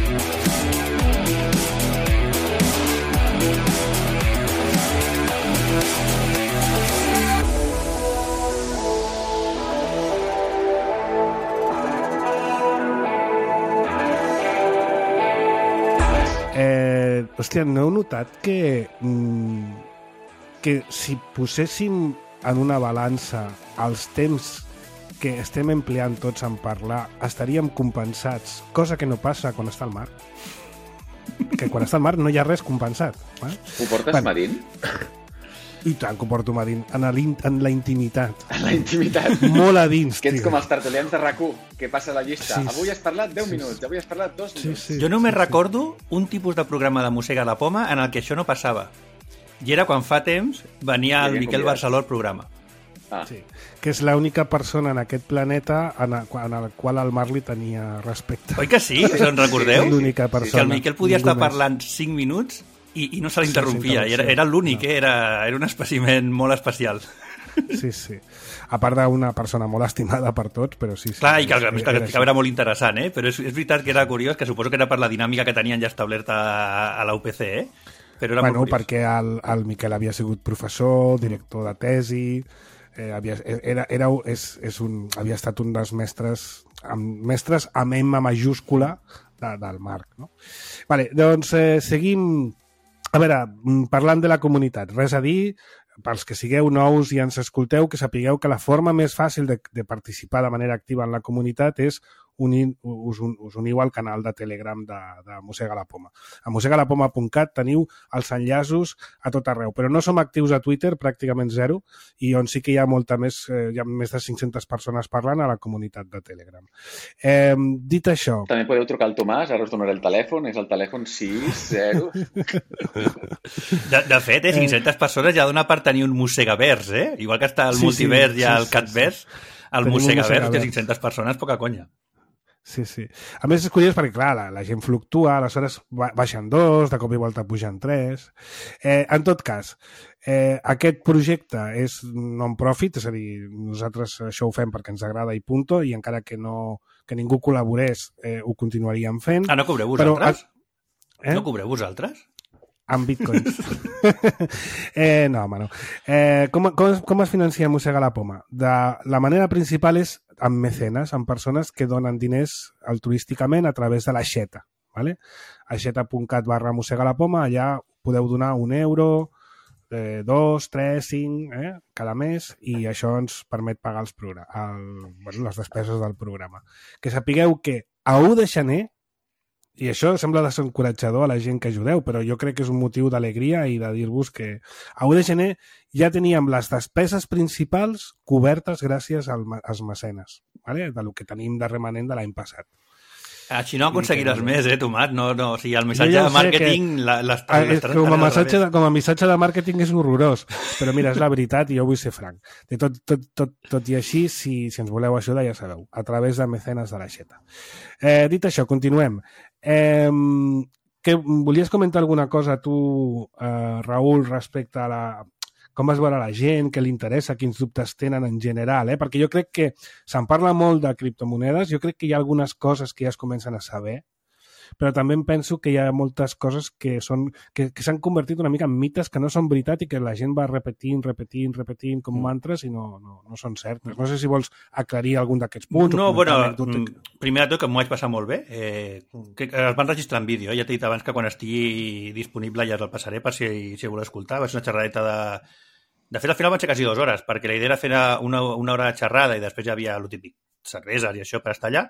B: Hòstia, no heu notat que si poséssim en una balança els temps que estem empleant tots en parlar, estaríem compensats, cosa que no passa quan està al mar. Que quan està al mar no hi ha res compensat.
D: Ho portes medint?
B: I tant que ho porto medint, en la intimitat.
D: En la intimitat?
B: Molt a dins,
D: que ets com els tertulians de RAC1, que passa la llista. Sí, avui has parlat 10 minuts, avui has parlat 2 minuts.
C: Jo només recordo un tipus de programa de Mossega la Poma en el que això no passava. I era quan fa temps venia el Miquel Barceló al programa.
B: Sí, que és l'única persona en aquest planeta en el qual el Marc li tenia respecte.
C: Oi que sí? Us en recordeu?
B: L'única persona.
C: Que el Miquel podia estar parlant 5 minuts i no se l'interrompia. Era l'únic, era un espècimen molt especial.
B: Sí. A part d'una persona molt estimada per tots, però sí.
C: Clar, i que el que explicava era molt interessant, però és veritat que era curiós, que suposo que era per la dinàmica que tenien ja establerta a la UPC, però era molt curiós.
B: Perquè el Miquel havia sigut professor, director de tesi, havia estat un dels mestres amb M majúscula del Marc. No? Vale, doncs seguim. A veure, parlant de la comunitat, res a dir, pels que sigueu nous i ens escolteu, que sapigueu que la forma més fàcil de participar de manera activa en la comunitat és us uniu al canal de Telegram de Mossega la Poma. A mossegalapoma.cat teniu els enllaços a tot arreu, però no som actius a Twitter, pràcticament 0, i on sí que hi ha hi ha més de 500 persones parlant a la comunitat de Telegram. Dit això...
D: També podeu trucar al Tomàs, ara us donaré el telèfon, és el telèfon 60...
C: De fet, 500 persones ja dona per tenir un Mossegavers, Igual que està el multivers i el Catverse, el Mossegavers, que 500 persones, poca conya.
B: Sí, sí. A més, és curiós perquè, clar, la gent fluctua, aleshores baixen 2, de cop i volta pugen 3. En tot cas, aquest projecte és non-profit, és a dir, nosaltres això ho fem perquè ens agrada i punto, i encara que ningú col·laborés, ho continuaríem fent.
C: No cobreu vosaltres? No cobreu vosaltres?
B: Amb bitcoins. No, home, no. Com es financia Mossega la Poma? La manera principal és amb mecenes, amb persones que donen diners altruísticament a través de l'aixeta. ¿Vale? Aixeta.cat/Mossega la Poma, allà podeu donar €1, 2, 3, 5, cada mes, i això ens permet pagar les despeses del programa. Que sapigueu que a 1 de gener, i això sembla desencoratjador a la gent que ajudeu, però jo crec que és un motiu d'alegria i de dir-vos que a 1 de gener ja teníem les despeses principals cobertes gràcies als mecenes, ¿vale? De lo que tenim de remanent de l'any passat.
C: Així no aconseguiràs més, Tomat? No, o sigui, el missatge de màrqueting...
B: Com a missatge de màrqueting és horrorós, però mira, és la veritat i jo vull ser franc. De tot i així, si ens voleu ajudar, ja sabeu, a través de mecenes de l'aixeta. Dit això, continuem. Volies comentar alguna cosa tu, Raül, respecte a com vas veure la gent, què li interessa, quins dubtes tenen en general, perquè jo crec que se'n parla molt de criptomonedes, jo crec que hi ha algunes coses que ja es comencen a saber, però també em penso que hi ha moltes coses que s'han convertit una mica en mites que no són veritat i que la gent va repetint com mantres i no són certes. No sé si vols aclarir algun d'aquests punts.
C: No, bueno, primer de tot que m'ho vaig passar molt bé. Que es van registrar en vídeo. Ja t'he dit abans que quan estigui disponible ja el passaré per si voleu escoltar. Va ser una xerradeta De fet, al final van ser quasi 2 hores, perquè la idea era fer una hora de xerrada i després ja havia el típic cerveses i això per estar allà.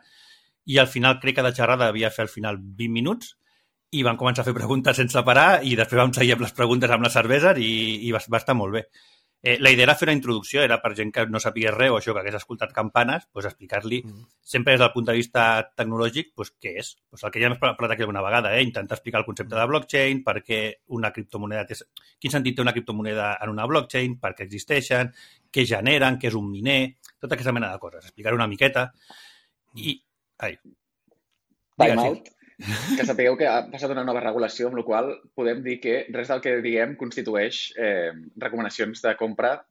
C: I al final crec que de xerrada havia fet al final 20 minuts i van començar a fer preguntes sense parar i després vam seguir amb les preguntes amb les cerveses i va estar molt bé. La idea era fer una introducció, era per gent que no sapigués res o això, que hagués escoltat campanes, doncs explicar-li sempre des del punt de vista tecnològic doncs, què és. Doncs el que ja hem parlat aquí alguna vegada, intentar explicar el concepte de blockchain, per què una criptomoneda quin sentit té una criptomoneda en una blockchain, per què existeixen, què generen, què és un miner, tota aquesta mena de coses. Explicar una miqueta i...
D: Time out. Que sapigueu que ha passat una nova regulació, amb la qual podem dir que res del que diguem constitueix recomanacions de compra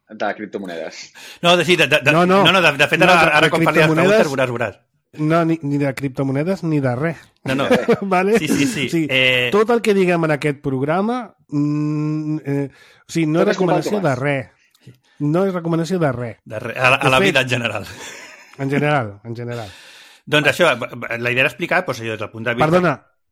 D: de criptomonedes.
C: No, de fet, ara quan parli de preguntes veuràs.
B: No, ni de criptomonedes ni de res.
C: No.
B: Vale?
C: Sí.
B: Tot el que diguem en aquest programa no és recomanació de res. No és recomanació de res.
C: A la vida en general.
B: En general.
C: Doncs això, la idea era explicar, doncs, allò, des del punt de vista...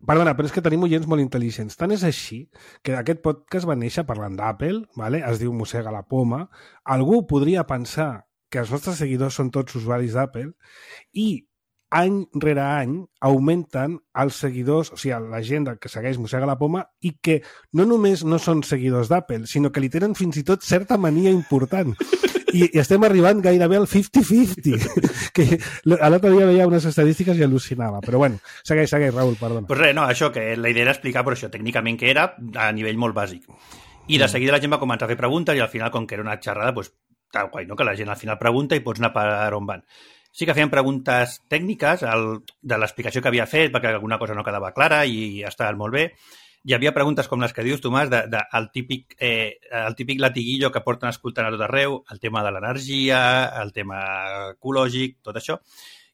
B: Perdona, però és que tenim oients molt intel·ligents. Tant és així que aquest podcast va néixer parlant d'Apple, ¿vale? Es diu Mossega la Poma. Algú podria pensar que els nostres seguidors són tots usuaris d'Apple i any rere any augmenten els seguidors, o sigui, la gent que segueix Mossega la Poma i que no només no són seguidors d'Apple, sinó que li tenen fins i tot certa mania important. I estem arribant gairebé al 50-50, que l'altre dia veia unes estadístiques i al·lucinava. Però bueno, segueix, Raül, perdona.
C: Pues res, no, això, que la idea era explicar però això, tècnicament què era, a nivell molt bàsic. I de seguida la gent va començar a fer preguntes i al final, com que era una xerrada, pues, tal guai, no? Que la gent al final pregunta i pots anar per on van. Sí que feien preguntes tècniques de l'explicació que havia fet perquè alguna cosa no quedava clara i estaven molt bé. Hi havia preguntes com les que dius, Tomàs, el típic latiguillo que porten escoltant a tot arreu, el tema de l'energia, el tema ecològic, tot això.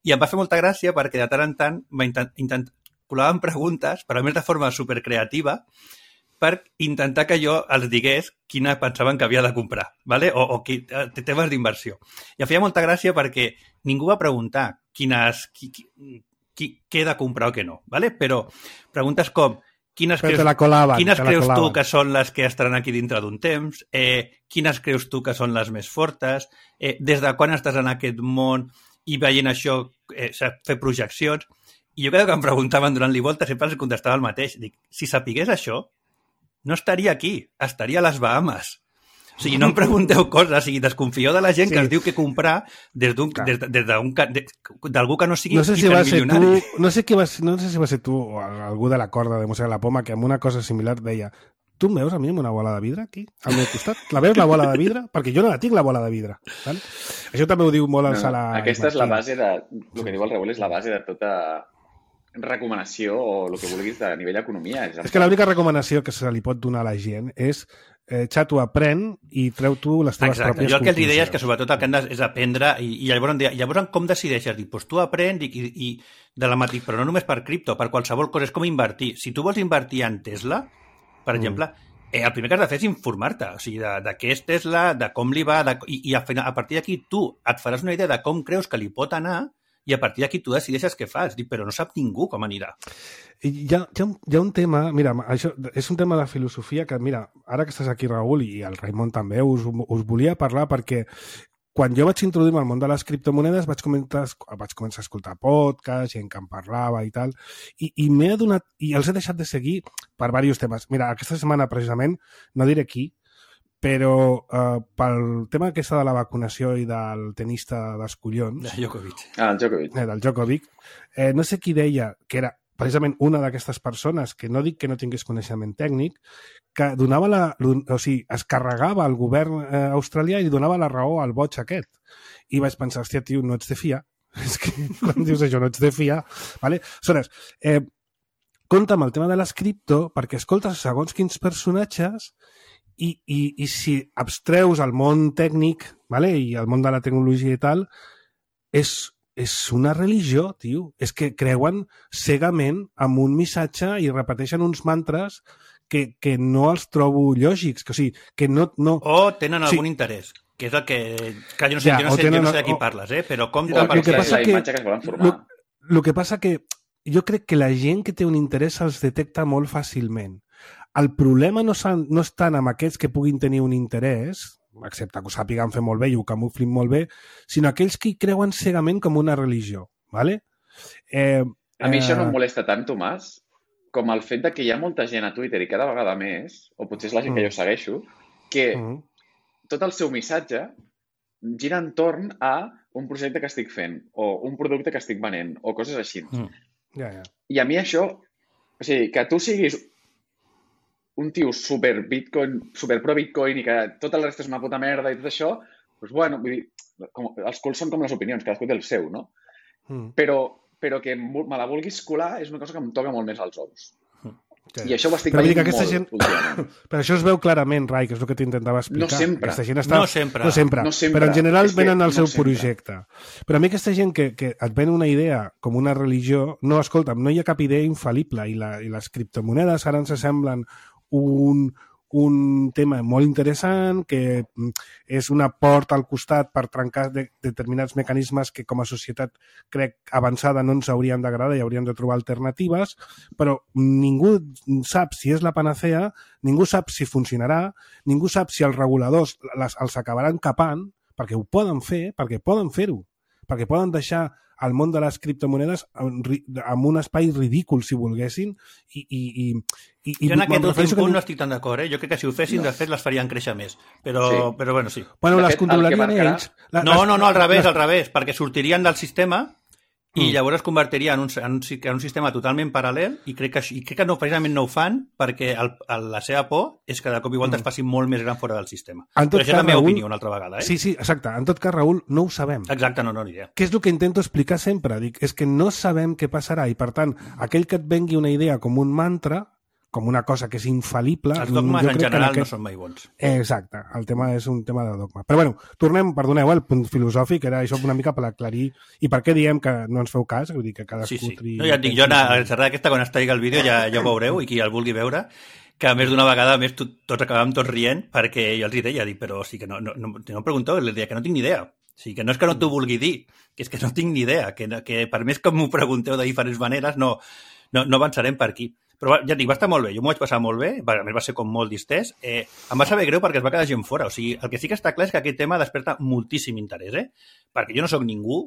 C: I em va fer molta gràcia perquè de tant en tant col·laven preguntes, però a més de forma supercreativa, per intentar que jo els digués quina pensaven que havia de comprar, ¿vale? o temes d'inversió. I em feia molta gràcia perquè ningú va preguntar què he de comprar o què no, ¿vale? Però preguntes com quines creus tu que són les que estaran aquí dintre d'un temps? Quines creus tu que són les més fortes? Des de quan estàs en aquest món i veient això, fer projeccions? I jo cada que em preguntaven donant-li voltes sempre els contestava el mateix. Dic, si sapigués això, no estaria aquí, estaria a les Bahames. O sigui, no em pregunteu coses, o sigui, desconfieu de la gent que es diu que comprar d'algú que no sigui hipermilionari.
B: No sé si va ser tu o algú de la corda de Mossega la Poma que amb una cosa similar deia Tu em veus a mi amb una bola de vidre aquí, al meu costat? La veus, la bola de vidre? Perquè jo no la tinc, la bola de vidre. Val? Això també ho diu molt el Sala.
D: Aquesta és la base de... El que diu el Raül és la base de tota recomanació o el que vulguis de nivell d'economia.
B: És que l'única recomanació que se li pot donar a la gent és xato, aprèn i treu tu les teves pròpies conclusions.
C: Jo el que els deia és que sobretot el que han és aprendre i llavors com decideixes? Dic, doncs tu aprèn i de la mateixa, però no només per cripto, per qualsevol cosa, és com invertir. Si tu vols invertir en Tesla, per exemple, el primer que has de fer és informar-te, o sigui, de què és Tesla, de com li va, i a partir d'aquí tu et faràs una idea de com creus que li pot anar i a partir d'aquí tu decideixes què fas. Dic, però no sap ningú com anirà.
B: Hi ha un tema, mira, això és un tema de filosofia que, mira, ara que estàs aquí, Raül, i el Raimon també, us volia parlar perquè quan jo vaig introduir-me al món de les criptomonedes vaig començar a escoltar podcasts, gent que en parlava i tal, i m'he adonat, i els he deixat de seguir per diversos temes. Mira, aquesta setmana precisament, no diré qui, però pel tema aquesta de la vacunació i del tenista dels collons...
C: De Djokovic.
D: El Djokovic.
B: Del Djokovic. No sé qui deia que era precisament una d'aquestes persones, que no dic que no tingués coneixement tècnic, que donava es carregava el govern australià i li donava la raó al boig aquest. I vaig pensar, hòstia, tio, no ets de fiar. És que quan dius això, no ets de fiar. Vale? Aleshores, compta amb el tema de les cripto perquè escoltes segons quins personatges i si abstreus el món tècnic, vale? I el món de la tecnologia i tal, és una religió, tio. És que creuen cegament amb un missatge i repeteixen uns mantres que no els trobo lògics. O sigui, que no...
C: O tenen algun interès, que és el que... Clar, jo no sé de qui parles, però compta...
D: El que passa que es volen formar.
B: El que passa que jo crec que la gent que té un interès els detecta molt fàcilment. El problema no és tant amb aquests que puguin tenir un interès, excepte que ho sàpiguen fer molt bé i ho camuflin molt bé, sinó aquells que hi creuen cegament com una religió. ¿Vale?
D: A mi això no em molesta tant, Tomàs, com el fet que hi ha molta gent a Twitter i cada vegada més, o potser és la gent que jo segueixo, que tot el seu missatge gira entorn a un projecte que estic fent, o un producte que estic venent, o coses així. I a mi això, o sigui, que tu siguis un tio super pro Bitcoin i que tot el resta és una puta merda i tot això, doncs bueno, vull dir, els culs són com les opinions, cadascú té el seu, no? Però que me la vulguis colar és una cosa que em toca molt més als ous. I això ho estic veient molt últimament.
B: Però això es veu clarament, Rai, que és el que t'intentava explicar.
D: No sempre.
B: No sempre. Però en general venen al seu projecte. Però a mi aquesta gent que et ven una idea com una religió, no, escolta'm, no hi ha cap idea infal·lible i les criptomonedes ara ens semblen un tema molt interessant, que és una porta al costat per trencar determinats mecanismes que com a societat crec avançada no ens haurien d'agradar i hauríem de trobar alternatives, però ningú sap si és la panacea, ningú sap si funcionarà, ningú sap si els reguladors els acabaran capant, perquè ho poden fer, perquè poden fer-ho, perquè poden deixar el món de les criptomonedes amb un espai ridícul, si volguessin.
C: Jo en aquest punt no estic tan d'acord. Jo crec que si ho fessin, de fet, les farien créixer més. Però bueno, sí.
B: Bueno, les controlarien ells.
C: No, al revés, perquè sortirien del sistema i llavors es convertiria en un sistema totalment paral·lel i crec que no, precisament no ho fan perquè la seva por és que de cop i volta es faci molt més gran fora del sistema. Però això és la meva opinió una altra vegada.
B: Sí, exacte. En tot cas, Raül, no ho sabem.
C: Exacte, no, ni idea.
B: Què és el que intento explicar sempre? Dic, és que no sabem què passarà i, per tant, aquell que et vengui una idea com un mantra, com una cosa que és infal·lible...
C: Els dogmes en general no són mai bons.
B: Exacte, el tema és un tema de dogma. Però bueno, tornem, perdoneu, al punt filosòfic, era això una mica per aclarir i per què diem que no ens feu cas, vull dir que cadascú...
C: Sí. No, ja et dic, jo a la xerrada aquesta, quan es tregui el vídeo, ja ho veureu, i qui el vulgui veure, que a més d'una vegada, a més, tots acabàvem tots rient, perquè jo els hi deia, però sí que no em pregunteu, els deia que no tinc ni idea. O sigui, que no és que no t'ho vulgui dir, que és que no tinc ni idea, que per més que m'ho pregunteu de diferents maneres, no avançarem per aquí. Però ja et dic, va estar molt bé, jo m'ho vaig passar molt bé, a més va ser com molt distès, em va saber greu perquè es va quedar gent fora, o sigui, el que sí que està clar és que aquest tema desperta moltíssim interès, perquè jo no sóc ningú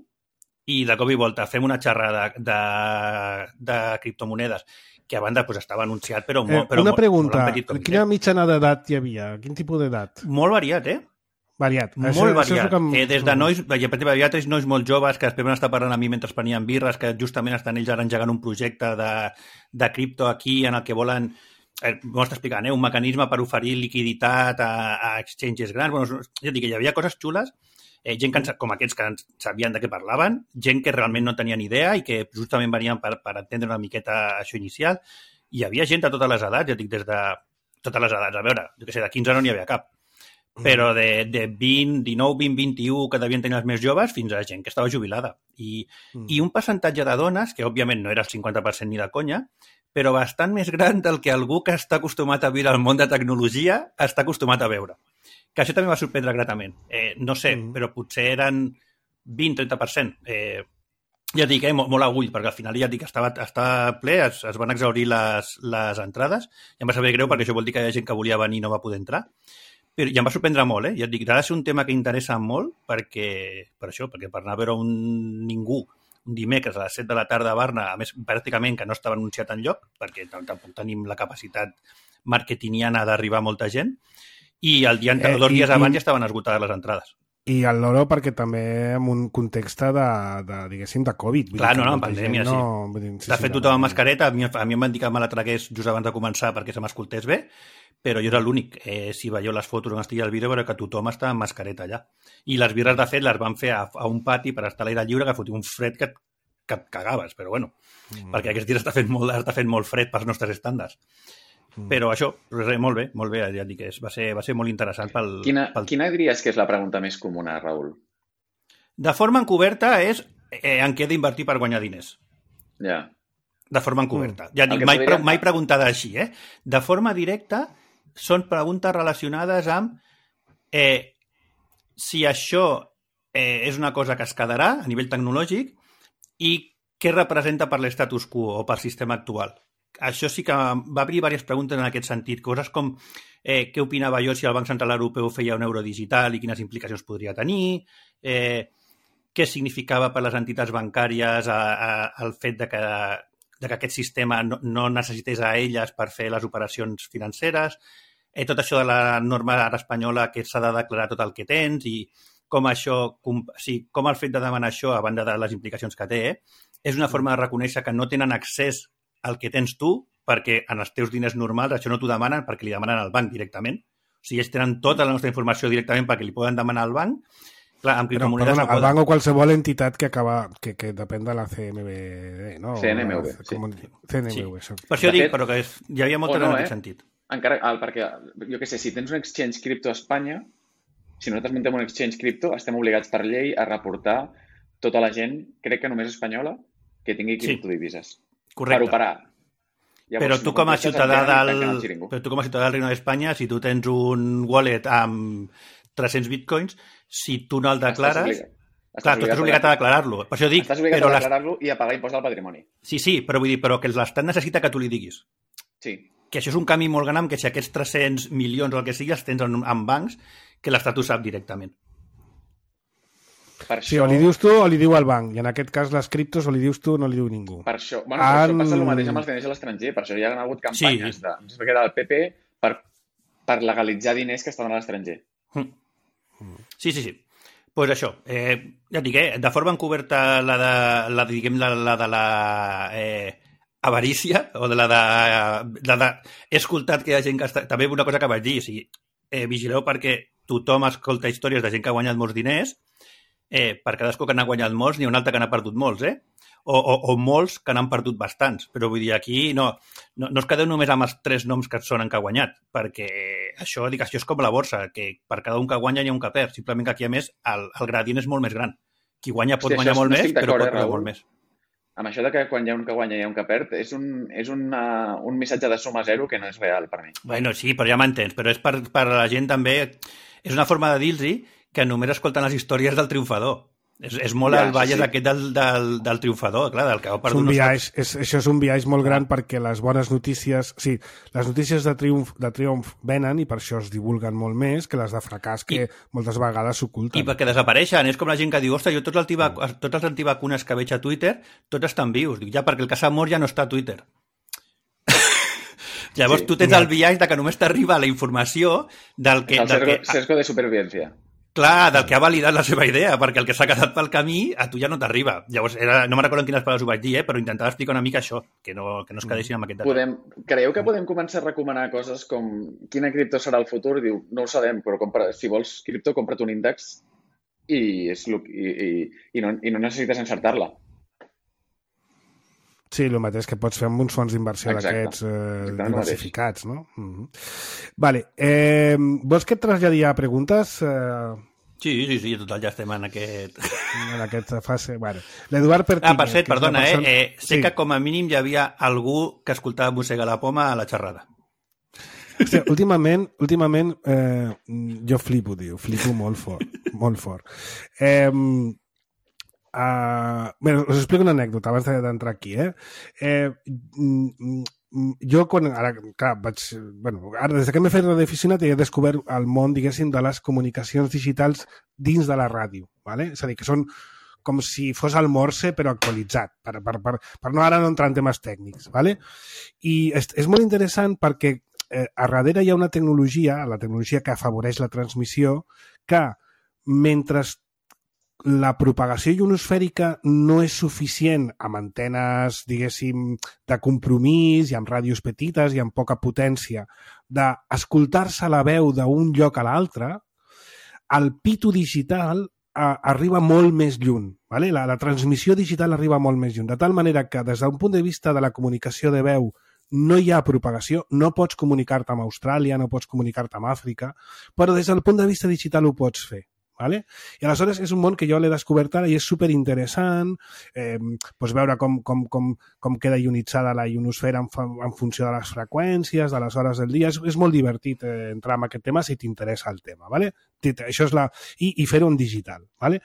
C: i de cop i volta fem una xerrada de criptomonedes que a banda estava anunciat, però
B: una pregunta, quina mitjana d'edat hi havia? Quin tipus d'edat?
C: Molt variat,
B: Variat.
C: Molt variat. Des de nois, per exemple, nois molt joves que després van estar parlant a mi mentre prenien birres, que justament estan ells ara engegant un projecte de cripto aquí en el que volen m'ho està explicant, un mecanisme per oferir liquiditat a exchanges grans. Bueno, ja dic que hi havia coses xules, gent com aquests que sabien de què parlaven, gent que realment no tenien idea i que justament venien per entendre una miqueta això inicial. Hi havia gent de totes les edats, ja dic, des de totes les edats. A veure, jo què sé, de 15 no n'hi havia cap. Però de 20, 19, 20, 21, que devien tenir els més joves, fins a gent que estava jubilada. I un percentatge de dones, que òbviament no era el 50% ni de conya, però bastant més gran del que algú que està acostumat a viure al món de tecnologia està acostumat a veure. Que això també va sorprendre gratament. No sé, però potser eren 20-30%. Ja dic, molt a ull, perquè al final ja dic, estava ple, es van exhaurir les entrades, i em va saber greu perquè això vol dir que hi ha gent que volia venir i no va poder entrar. Però ja em va sorprendre molt, Ja et dic, ha de ser un tema que interessa molt perquè per anar a veure un dimecres a les 7 de la tarda a Barna, a més, pràcticament que no estava anunciat enlloc, perquè tampoc tenim la capacitat marketingiana d'arribar a molta gent, i el dia 2 dies abans ja estaven esgotades les entrades.
B: I el loro perquè també en un context diguéssim, de Covid.
C: Clar, en pandèmia, sí. De fet, tothom amb mascareta, a mi em van dir que me la tragués just abans de començar perquè se m'escoltés bé, però jo era l'únic. Si veieu les fotos on estigui el vídeo, veureu que tothom està amb mascareta allà. I les birres, de fet, les van fer a un pati per estar a l'aire lliure, que fotia un fred que et cagaves, però bueno, perquè aquests dies està fent molt fred pels nostres estàndards. Però això, molt bé, ja dic que va ser molt interessant pel...
D: Quina diries que és la pregunta més comuna, Raül?
C: De forma encoberta és en què he d'invertir per guanyar diners.
D: Ja.
C: De forma encoberta. Ja dic, mai preguntada així, De forma directa són preguntes relacionades amb si això és una cosa que es quedarà a nivell tecnològic i què representa per l'estatus quo o per sistema actual. Això sí que va obrir diverses preguntes en aquest sentit. Coses com què opinava jo si el Banc Central Europeu feia un euro digital i quines implicacions podria tenir, què significava per les entitats bancàries el fet de que aquest sistema no necessités a elles per fer les operacions financeres, tot això de la norma espanyola que s'ha de declarar tot el que tens i com el fet de demanar això, a banda de les implicacions que té, és una forma de reconèixer que no tenen accés al que tens tu, perquè en els teus diners normals això no t'ho demanen perquè li demanen al banc directament. O sigui, ells tenen tota la nostra informació directament perquè li poden demanar al banc. Clar, amb criptomonedes no poden.
B: El banc o qualsevol entitat que depèn de la CNMV, no?
D: CNMV, sí.
B: CNMV,
C: sí. Per això dic, però que hi havia molta en aquest sentit.
D: Encara, perquè, jo què sé, si tens un exchange cripto a Espanya, si nosaltres muntem un exchange cripto, estem obligats per llei a reportar tota la gent, crec que només espanyola, que tingui criptodivises.
C: Correcte.
D: Per operar. Llavors,
C: però tu com a ciutadà del Reino d'Espanya, si tu tens un wallet amb 300 bitcoins, si tu no el declares... Clar, tu estàs obligat a declarar-lo. Per això dic...
D: Estàs obligat a declarar-lo i a pagar impost del patrimoni.
C: Sí, però vull dir, però que l'Estat necessita que tu li diguis.
D: Sí.
C: Que això és un canvi molt gran, que si aquests 300 milions o el que sigui els tens en bancs, que l'Estat ho sap directament.
B: Sí, o li dius tu o li diu el banc. I en aquest cas les criptos o li dius tu o no li diu ningú.
D: Per això passa el mateix amb els diners a l'estranger. Per això hi ha hagut campanyes del PP per legalitzar diners que estaven a l'estranger.
C: Sí. Pues això, ja dic, de forma encoberta la de la avarícia o de la de... He escoltat que hi ha gent que està... També una cosa que vaig dir, o sigui, vigileu perquè tothom escolta històries de gent que ha guanyat molts diners. Per cadascú que n'ha guanyat molts, n'hi ha un altre que n'ha perdut molts, o molts que n'han perdut bastants. Però vull dir, aquí no es quedeu només amb els 3 noms que sonen que ha guanyat, perquè això és com la borsa, que per cada un que guanya hi ha un que perd. Simplement que aquí, a més, el gradient és molt més gran. Qui guanya pot guanyar molt més, però pot perdre molt més.
D: Amb això de que quan hi ha un que guanya i hi ha un que perd, és un missatge de suma zero que no és real per mi.
C: Bueno, sí, però ja m'entens. Però és per la gent també... És una forma de dir-los que només escolten les històries del triomfador. És molt el biaix aquest del triomfador, clar, del que ha perdut.
B: Això és un biaix molt gran perquè les bones notícies... Sí, les notícies de triomf venen i per això es divulguen molt més que les de fracàs que moltes vegades s'oculten.
C: I perquè desapareixen. És com la gent que diu, ostres, jo tots els antivacunes que veig a Twitter, tots estan vius. Dic, ja, perquè el que s'ha mort ja no està a Twitter. Llavors tu tens el biaix de que només t'arriba la informació del que...
D: És el sesgo de supervivència.
C: Clar, del que ha validat la seva idea, perquè el que s'ha quedat pel camí a tu ja no t'arriba. Llavors, no me'n recordo en quines paraules ho vaig dir, però intentava explicar una mica això, que no es quedessin amb aquest detall.
D: Creieu que podem començar a recomanar coses com quina cripto serà el futur? Diu, no ho sabem, però si vols cripto, compra't un índex i no necessites encertar-la.
B: Sí, el mateix que pots fer amb uns fons d'inversió d'aquests diversificats, no? Vale. Vols que et traslladí a preguntes?
C: Sí, total, ja estem en aquest...
B: En aquesta fase. Bueno, l'Eduard Pertínez...
C: per cert, perdona, sé que com a mínim hi havia algú que escoltava Mossega la Poma a la xerrada.
B: Hòstia, últimament jo flipo molt fort. Bé, us explico una anècdota abans d'entrar aquí. Jo, ara, des que m'he fet radioaficionat he descobert el món, diguéssim, de les comunicacions digitals dins de la ràdio. ¿vale? És a dir, que són com si fos el Morse, però actualitzat, per no entrar en temes tècnics. ¿vale? I és molt interessant perquè a darrere hi ha una tecnologia, la tecnologia que afavoreix la transmissió, que mentre la propagació ionosfèrica no és suficient amb antenes, diguéssim, de compromís i amb ràdios petites i amb poca potència d'escoltar-se la veu d'un lloc a l'altre, el pito digital arriba molt més lluny. ¿vale? La transmissió digital arriba molt més lluny, de tal manera que des d'un punt de vista de la comunicació de veu no hi ha propagació, no pots comunicar-te amb Austràlia, no pots comunicar-te amb Àfrica, però des del punt de vista digital ho pots fer. ¿vale? I aleshores és un món que jo l'he descobert ara i és superinteressant veure com queda ionitzada la ionosfera en funció de les freqüències, de les hores del dia. És molt divertit entrar en aquest tema si t'interessa el tema. ¿vale? Això és I fer-ho en digital. ¿vale?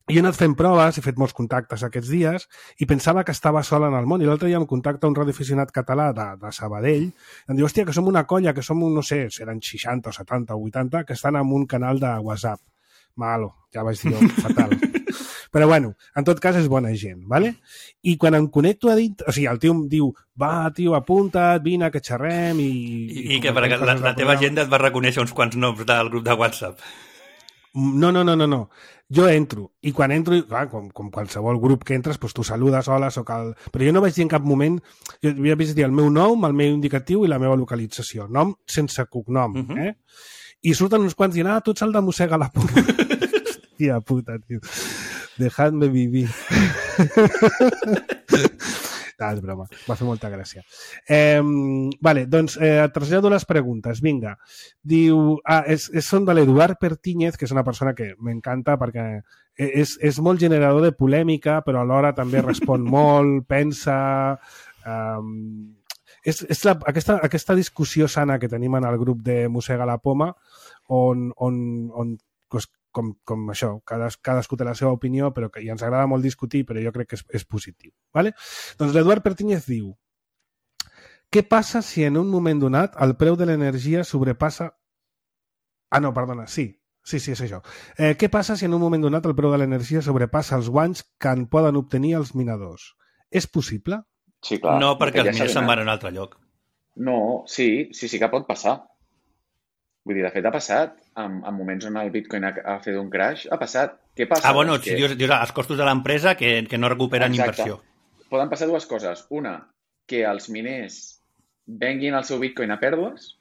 B: Jo he anat fent proves, he fet molts contactes aquests dies i pensava que estava sol en el món. I l'altre dia em contacta un radioaficionat català de Sabadell i em diu, hòstia, que som una colla, que som, no sé, seran 60 o 70 o 80, que estan en un canal de WhatsApp. Malo, ja vaig dir jo, fatal. Però bueno, en tot cas és bona gent, ¿vale? I quan em connecto a dins... O sigui, el tio em diu, va, tio, apunta't, vine, que xerrem
C: I que perquè la teva agenda et va reconèixer uns quants noms del grup de WhatsApp.
B: No. Jo entro, i quan entro, clar, com qualsevol grup que entres, doncs tu saludes, hola, soc el... Però jo no vaig dir en cap moment, jo havia vist dir el meu nom, el meu indicatiu i la meva localització. Nom sense cognom, I surten uns quants dient, tu ets el de Mossega la Poma. Hòstia puta, tio. Dejadme vivir. No, és broma. Va fer molta gràcia. Vale, doncs et trasllado les preguntes. Vinga. Diu... són de l'Eduard Pertínez, que és una persona que m'encanta perquè és molt generador de polèmica, però alhora també respon molt, pensa... És aquesta discussió sana que tenim en el grup de Mossega la Poma on com això, cadascú té la seva opinió, però i ens agrada molt discutir, però jo crec que és positiu. ¿vale? Doncs l'Eduard Pertínez diu: què passa si en un moment donat el preu de l'energia sobrepassa... Sí, és això. Què passa si en un moment donat el preu de l'energia sobrepassa els guanys que en poden obtenir els minadors? És possible?
D: Sí, clar.
C: No, perquè els miners se'n van a un altre lloc.
D: No, sí que pot passar. Vull dir, de fet, ha passat. En moments on el Bitcoin ha fet un crash, ha passat. Què passa?
C: Bueno, si dius els costos de l'empresa que no recuperen inversió.
D: Poden passar dues coses. Una, que els miners venguin el seu Bitcoin a pèrdues,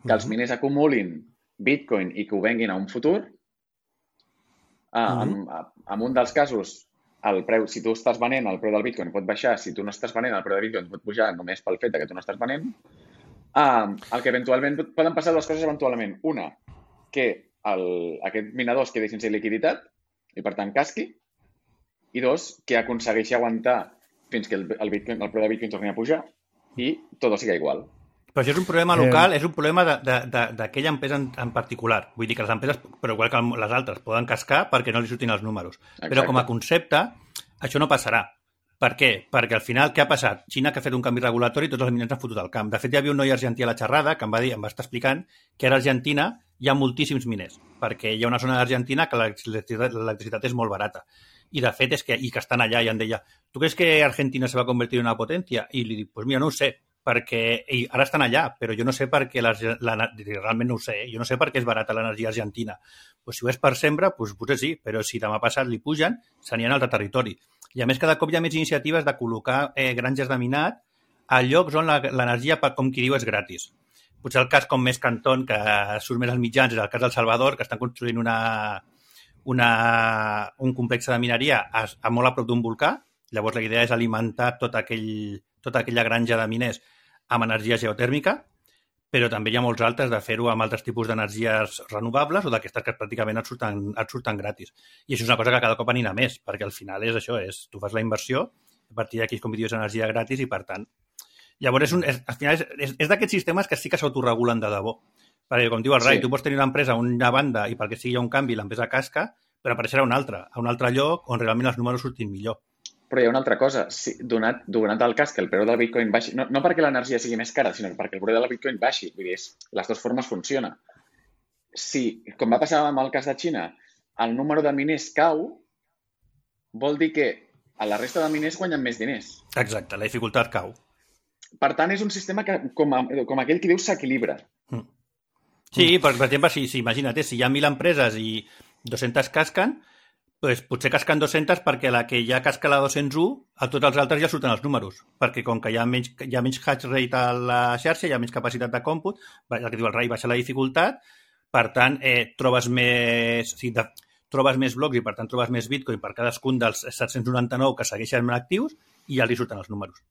D: que els miners acumulin Bitcoin i que ho venguin a un futur. En un dels casos, el preu, si tu estàs venent, el preu del Bitcoin pot baixar. Si tu no estàs venent, el preu del Bitcoin pot pujar només pel fet que tu no estàs venent. El que eventualment poden passar dues coses eventualment. Una, que aquest minador es quedi sense liquiditat i per tant casqui. I dos, que aconsegueixi aguantar fins que el preu de Bitcoin torni a pujar i tot sigui igual.
C: Però això és un problema local, és un problema d'aquella empresa en particular. Vull dir que les empreses, però igual que les altres, poden cascar perquè no li surtin els números. Exacte. Però com a concepte, això no passarà. Per què? Perquè al final, què ha passat? Xina que ha fet un canvi regulatori i tots els miners han fotut al camp. De fet, hi havia un noi argentí a la xerrada que em va estar explicant que ara a Argentina hi ha moltíssims miners, perquè hi ha una zona d'Argentina que l'electricitat és molt barata. I de fet és que estan allà i em deia, ¿tú crees que Argentina se va a convertir en una potencia? Y le dic, pues mira, no ho sé, perquè ara estan allà, però jo no sé per què realment no ho sé, jo no sé per què és barata l'energia argentina. Pues si ho és per sempre, pues potser sí, però si demà passat li pugen, s'anien a altre territori. I a més, cada cop hi ha més iniciatives de col·locar granges de minat a llocs on l'energia, com qui diu, és gratis. Potser el cas com més canton, que surt més als mitjans, és el cas del Salvador, que estan construint un complex de mineria molt a prop d'un volcà. Llavors la idea és alimentar tota aquella granja de miners amb energia geotèrmica, però també hi ha molts altres de fer-ho amb altres tipus d'energies renovables o d'aquestes que pràcticament et surten gratis. I això és una cosa que cada cop anirà més, perquè al final és això, tu fas la inversió, a partir d'aquí com dius energia gratis i per tant llavors al final és d'aquests sistemes que sí que s'autoregulen de debò. Perquè, com diu el Rai, tu pots tenir una empresa a una banda i perquè sigui un canvi l'empresa casca, però apareixerà a un altre lloc on realment els números surtin millor.
D: Però hi ha una altra cosa. Donat el cas que el preu del Bitcoin baixi, no perquè l'energia sigui més cara, sinó perquè el preu del Bitcoin baixi. Vull dir, les dues formes funcionen. Si, com va passar amb el cas de Xina, el número de miners cau, vol dir que a la resta de miners guanyen més diners.
C: Exacte, la dificultat cau.
D: Per tant, és un sistema que, com aquell que diu, s'equilibra.
C: Sí, per exemple, si imagina't, si hi ha 1.000 empreses i 200 casquen, doncs potser casquen 200 perquè la que ja casca la 201, a tots els altres ja surten els números. Perquè com que hi ha menys hash rate a la xarxa, hi ha menys capacitat de còmput, el que diu el Rai, baixa la dificultat, per tant, trobes més blocs i per tant trobes més Bitcoin per cadascun dels 799 que segueixen actius i ja li surten els números.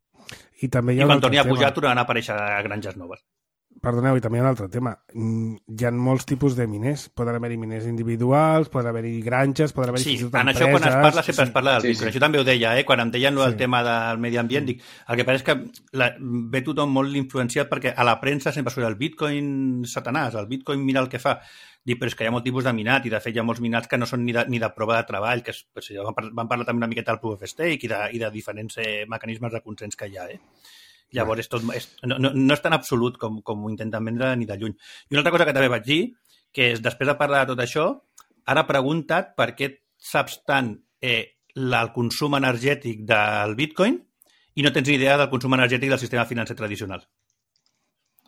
B: I també
C: quan torni a pujar tornaran a aparèixer granges noves.
B: Perdoneu, i també hi ha un altre tema. Hi ha molts tipus de miners. Poden haver-hi miners individuals, poden haver-hi granges, poden haver-hi
C: empreses. En això quan es parla sempre es parla del Bitcoin. Això també ho deia, quan em deien el tema del medi ambient, dic, el que passa és que ve tothom molt influenciat perquè a la premsa sempre surt el Bitcoin satanàs, el Bitcoin mira el que fa. Dic, però és que hi ha molt tipus de minat i de fet hi ha molts minats que no són ni de prova de treball, que van parlar també una miqueta del Proof of Stake i de diferents mecanismes de consens que hi ha. Llavors no és tan absolut com ho intenten vendre ni de lluny. I una altra cosa que també vaig dir, que és després de parlar de tot això, ara pregunta't per què saps tant el consum energètic del Bitcoin i no tens ni idea del consum energètic del sistema financer tradicional.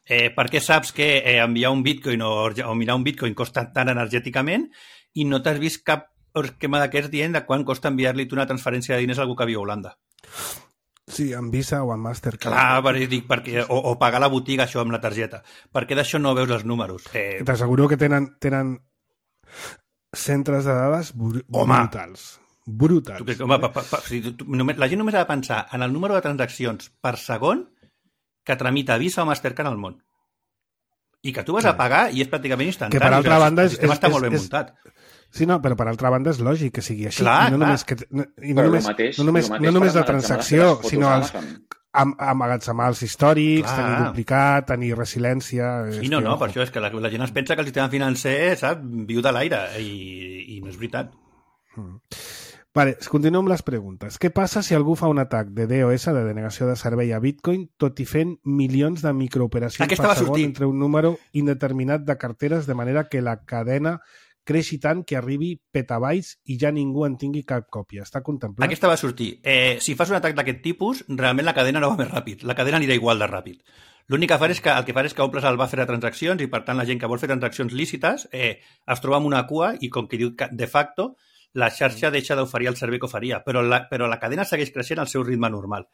C: Per què saps que enviar un Bitcoin o mirar un Bitcoin costa tant energèticament i no t'has vist cap esquema d'aquests dient de quant costa enviar-li una transferència de diners a algú que viu a Holanda?
B: Sí, amb Visa o amb Mastercard.
C: Clar, o pagar la botiga això amb la targeta. Per què d'això no veus els números?
B: T'asseguro que tenen centres de dades brutals. Brutals.
C: La gent només ha de pensar en el número de transaccions per segon que tramita Visa o Mastercard al món. I que tu vas a pagar i és pràcticament instantani.
B: Que per altra banda...
C: El sistema està molt ben muntat.
B: Sí, no, però per altra banda és lògic que sigui així.
C: Clar,
B: No només la transacció, sinó els emmagatzemar els històrics, tenir duplicat, tenir resiliència...
C: Sí, no, per això és que la gent es pensa que el sistema financer, sap, viu de l'aire i no és veritat.
B: Vale, continuem amb les preguntes. Què passa si algú fa un atac de DOS, de denegació de servei a Bitcoin, tot i fent milions de microoperacions per segon entre un número indeterminat de carteres, de manera que la cadena creixi tant que arribi petabytes i ja ningú en tingui cap còpia? Està contemplat?
C: Aquesta va sortir. Si fas un atac d'aquest tipus, realment la cadena no va més ràpid. La cadena anirà igual de ràpid. L'únic que farà és que omples el buffer de transaccions i, per tant, la gent que vol fer transaccions lícites es troba amb una cua i, com que diu de facto, la xarxa deixa d'oferir el servei que oferia, però la cadena segueix creixent al seu ritme normal.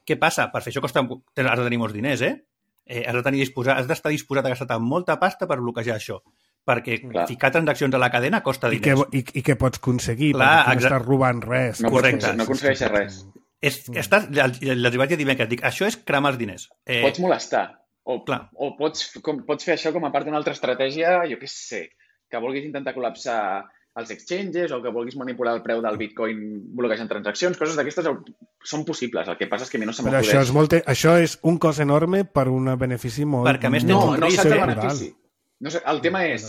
C: Què passa? Per fer això has de tenir molts diners, has d'estar disposat a gastar molta pasta per bloquejar això, perquè ficar transaccions a la cadena costa diners.
B: I què pots aconseguir? Perquè no estàs robant res.
C: Correcte.
D: No aconsegueixes res.
C: Els vaig dir dimecres, dic, això és cremar els diners.
D: Pots molestar, o pots fer això com a part d'una altra estratègia, jo què sé, que vulguis intentar col·lapsar els exchanges o que vulguis manipular el preu del Bitcoin bloquejant transaccions, coses d'aquestes són possibles. El que passa és que a mi no se m'acudeix.
B: Però això és un cost enorme per un benefici molt...
C: Perquè a més tens un risc.
D: No el benefici. No sé, el tema és,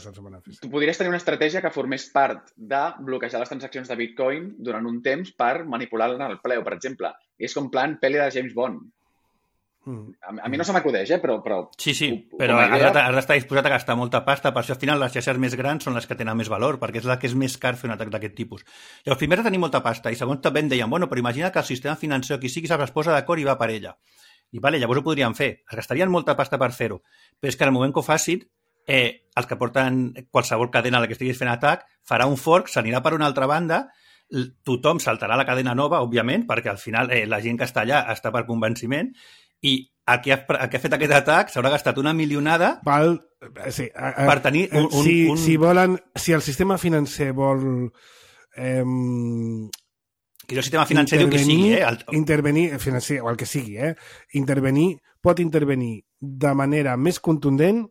D: tu podries tenir una estratègia que formés part de bloquejar les transaccions de Bitcoin durant un temps per manipular el preu, per exemple. És com plan pel·li de James Bond. A mi no se m'acudeix, però...
C: Sí, però has d'estar disposat a gastar molta pasta, per això al final les xarxes més grans són les que tenen més valor, perquè és la que és més car fer un atac d'aquest tipus. Llavors, primer has de tenir molta pasta, i segons també em deien, però imagina que el sistema financer, qui sigui, es posa d'acord i va per ella. I vale, llavors ho podrien fer. Es gastarien molta pasta per fer-ho. Però és que al moment que ho facin, els que porten qualsevol cadena a la que estiguis fent atac, farà un fork, s'anirà per una altra banda, tothom saltarà la cadena nova, òbviament, perquè al final la gent que està allà està per convenciment, i el que ha fet aquest atac s'haurà gastat una milionada per tenir
B: si el sistema financer vol...
C: que el sistema financer diu que sigui,
B: intervenir, financer, o el que sigui, pot intervenir de manera més contundent,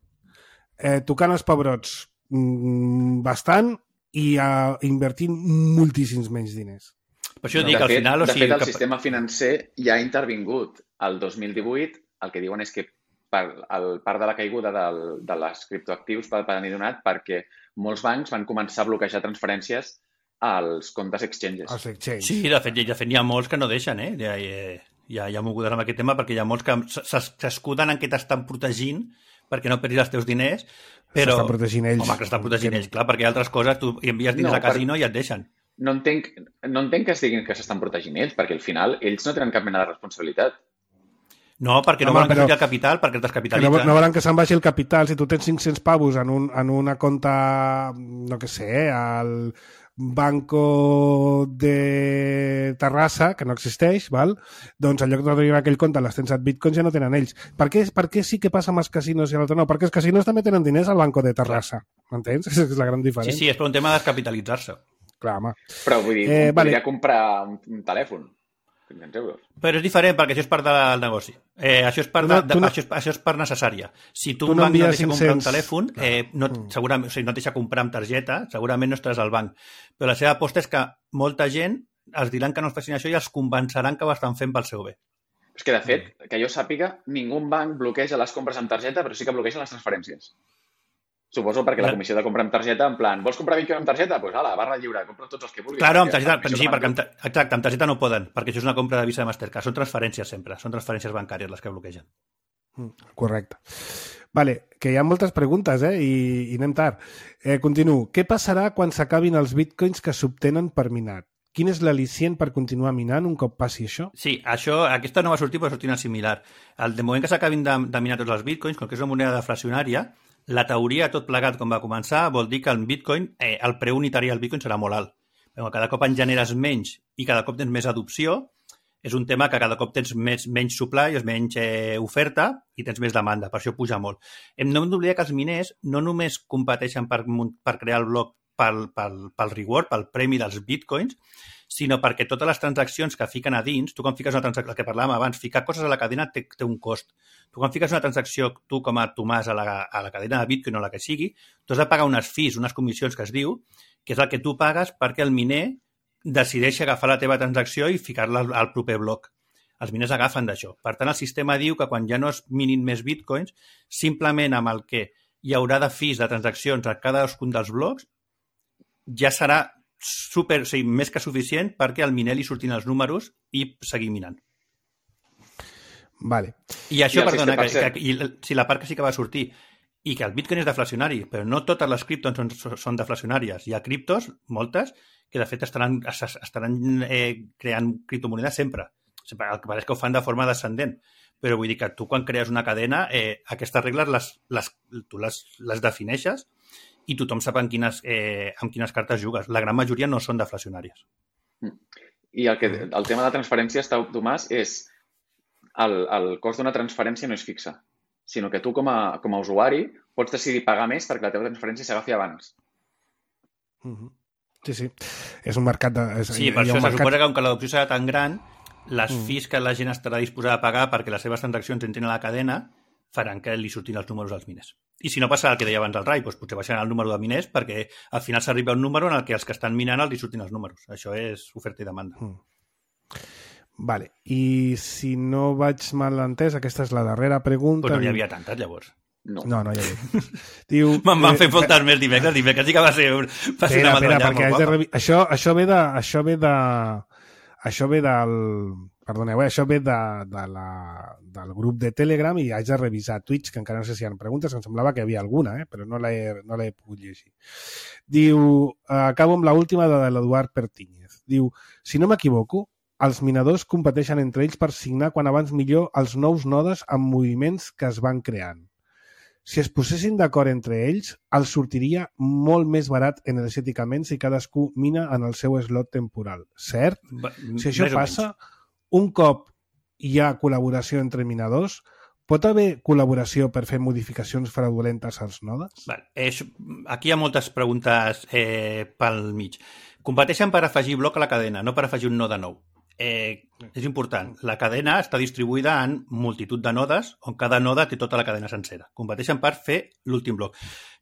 B: tocant els pebrots bastant i invertint moltíssims menys diners.
C: Per això dic, al final...
D: De fet, el sistema financer ja ha intervingut. El 2018, el que diuen és que part de la caiguda de les criptoactius va venir donat perquè molts bancs van començar a bloquejar transferències als comptes exchanges.
C: Sí, de fet hi ha molts que no deixen, ja mogudes amb aquest tema, perquè hi ha molts que s'escuden en què t'estan protegint perquè no perdis els teus diners, però...
B: S'estan protegint ells.
C: Home, que s'estan protegint ells, clar, perquè hi ha altres coses, tu envies diners al casino i et deixen.
D: No entenc que es diguin que s'estan protegint ells, perquè al final ells no tenen cap mena de responsabilitat.
C: No, perquè no volen que surti el capital, perquè es descapitalitzen.
B: No volen que se'n vagi el capital. Si tu tens 500 pavos en una compta, no què sé, al Banco de Terrassa, que no existeix, val? Doncs en lloc de tenir aquell compte les tens a bitcoins ja no tenen ells. Per què sí que passa amb els casinos i l'altre no? Perquè els casinos també tenen diners al Banco de Terrassa. M'entens? És la gran diferència.
C: Sí, és per un tema de descapitalitzar-se.
B: Clar, home.
D: Però vull dir, podria comprar un telèfon. 500 euros.
C: Però és diferent, perquè això és part del negoci. Això és part necessària. Si tu un banc no deixa comprar un telèfon, segurament, o sigui, no et deixa comprar amb targeta, segurament no estaràs al banc. Però la seva aposta és que molta gent els diran que no es facin això i els convenceran que ho estan fent pel seu bé.
D: És que, de fet, que jo sàpiga, ningú banc bloqueja les compres amb targeta, però sí que bloquegen les transferències. Suposo perquè la comissió de compra amb targeta, en plan, vols comprar Bitcoin amb targeta? Doncs ala, barra lliure, compra tots els que vulguis.
C: Claro, amb targeta, sí, perquè amb targeta no poden, perquè això és una compra de Visa de Mastercard. Són transferències sempre, són transferències bancàries les que bloquegen.
B: Correcte. Vale, que hi ha moltes preguntes, i anem tard. Continuo. Què passarà quan s'acabin els bitcoins que s'obtenen per minar? Quin és l'al·licient per continuar minant un cop passi això?
C: Sí, aquesta no va sortir, però sortir una similar. De moment que s'acabin de minar tots els bitcoins, com que és una moneda deflacionària, la teoria, tot plegat com va començar, vol dir que el Bitcoin, el preu unitari del Bitcoin serà molt alt. Però cada cop en generes menys i cada cop tens més adopció, és un tema que cada cop tens menys supply, menys oferta i tens més demanda, per això puja molt. No hem d'oblidar que els miners no només competeixen per crear el bloc pel reward, pel premi dels Bitcoins, sinó perquè totes les transaccions que fiquen a dins, tu quan fiques una transacció, el que parlàvem abans, ficar coses a la cadena té un cost. Tu quan fiques una transacció, tu com a Tomàs, a la cadena de Bitcoin o la que sigui, tu has de pagar unes fees, unes comissions que es diu, que és el que tu pagues perquè el miner decideixi agafar la teva transacció i ficar-la al proper bloc. Els miners agafen d'això. Per tant, el sistema diu que quan ja no es minin més Bitcoins, simplement amb el que hi haurà de fees de transaccions a cadascun dels blocs, ja serà més que suficient perquè al miner li surtin els números i seguir minant.
B: Vale.
C: I això, perdona, si la part que sí que va sortir i que el Bitcoin és deflacionari, però no totes les criptos són deflacionàries. Hi ha criptos, moltes, que de fet estaran creant criptomonedes sempre. El que pareix que ho fan de forma descendent. Però vull dir que tu quan crees una cadena, aquestes regles tu les defineixes i tothom sap amb quines cartes jugues. La gran majoria no són deflacionàries.
D: I el tema de transferències, Tomàs, és el cost d'una transferència no és fixa, sinó que tu com a usuari pots decidir pagar més perquè la teva transferència s'agafi abans.
B: Sí. És un mercat de...
C: Sí, per això se suposa que com que l'adopció serà tan gran, les fees que la gent estarà disposada a pagar perquè les seves transaccions entrin a la cadena faran que li surtin els números als miners. I si no passa el que deia abans el Rai, doncs potser baixaran el número de miners perquè al final s'arriba a un número en el que els que estan minant els surtin els números. Això és oferta i demanda.
B: Vale. I si no vaig mal entès, aquesta és la darrera pregunta...
C: Pues no n'hi havia tantes, llavors.
B: No hi havia. Diu,
C: Me'n van fer moltes més dimecres sí que va ser una metralla molt guapa.
B: Això ve del... Perdoneu, això ve del grup de Telegram i haig de revisar tuits, que encara no sé si hi ha preguntes, em semblava que hi havia alguna, però no l'he pogut llegir. Diu, acabo amb l'última de l'Eduard Pertíñez. Diu, si no m'equivoco, els minadors competeixen entre ells per signar quan abans millor els nous nodes amb moviments que es van creant. Si es posessin d'acord entre ells, els sortiria molt més barat energèticament si cadascú mina en el seu slot temporal. Cert? Si això passa, un cop hi ha col·laboració entre minadors, pot haver col·laboració per fer modificacions fraudulentes als nodes?
C: Aquí hi ha moltes preguntes pel mig. Competeixen per afegir bloc a la cadena, no per afegir un node nou. És important. La cadena està distribuïda en multitud de nodes on cada node té tota la cadena sencera. Competeixen per fer l'últim bloc.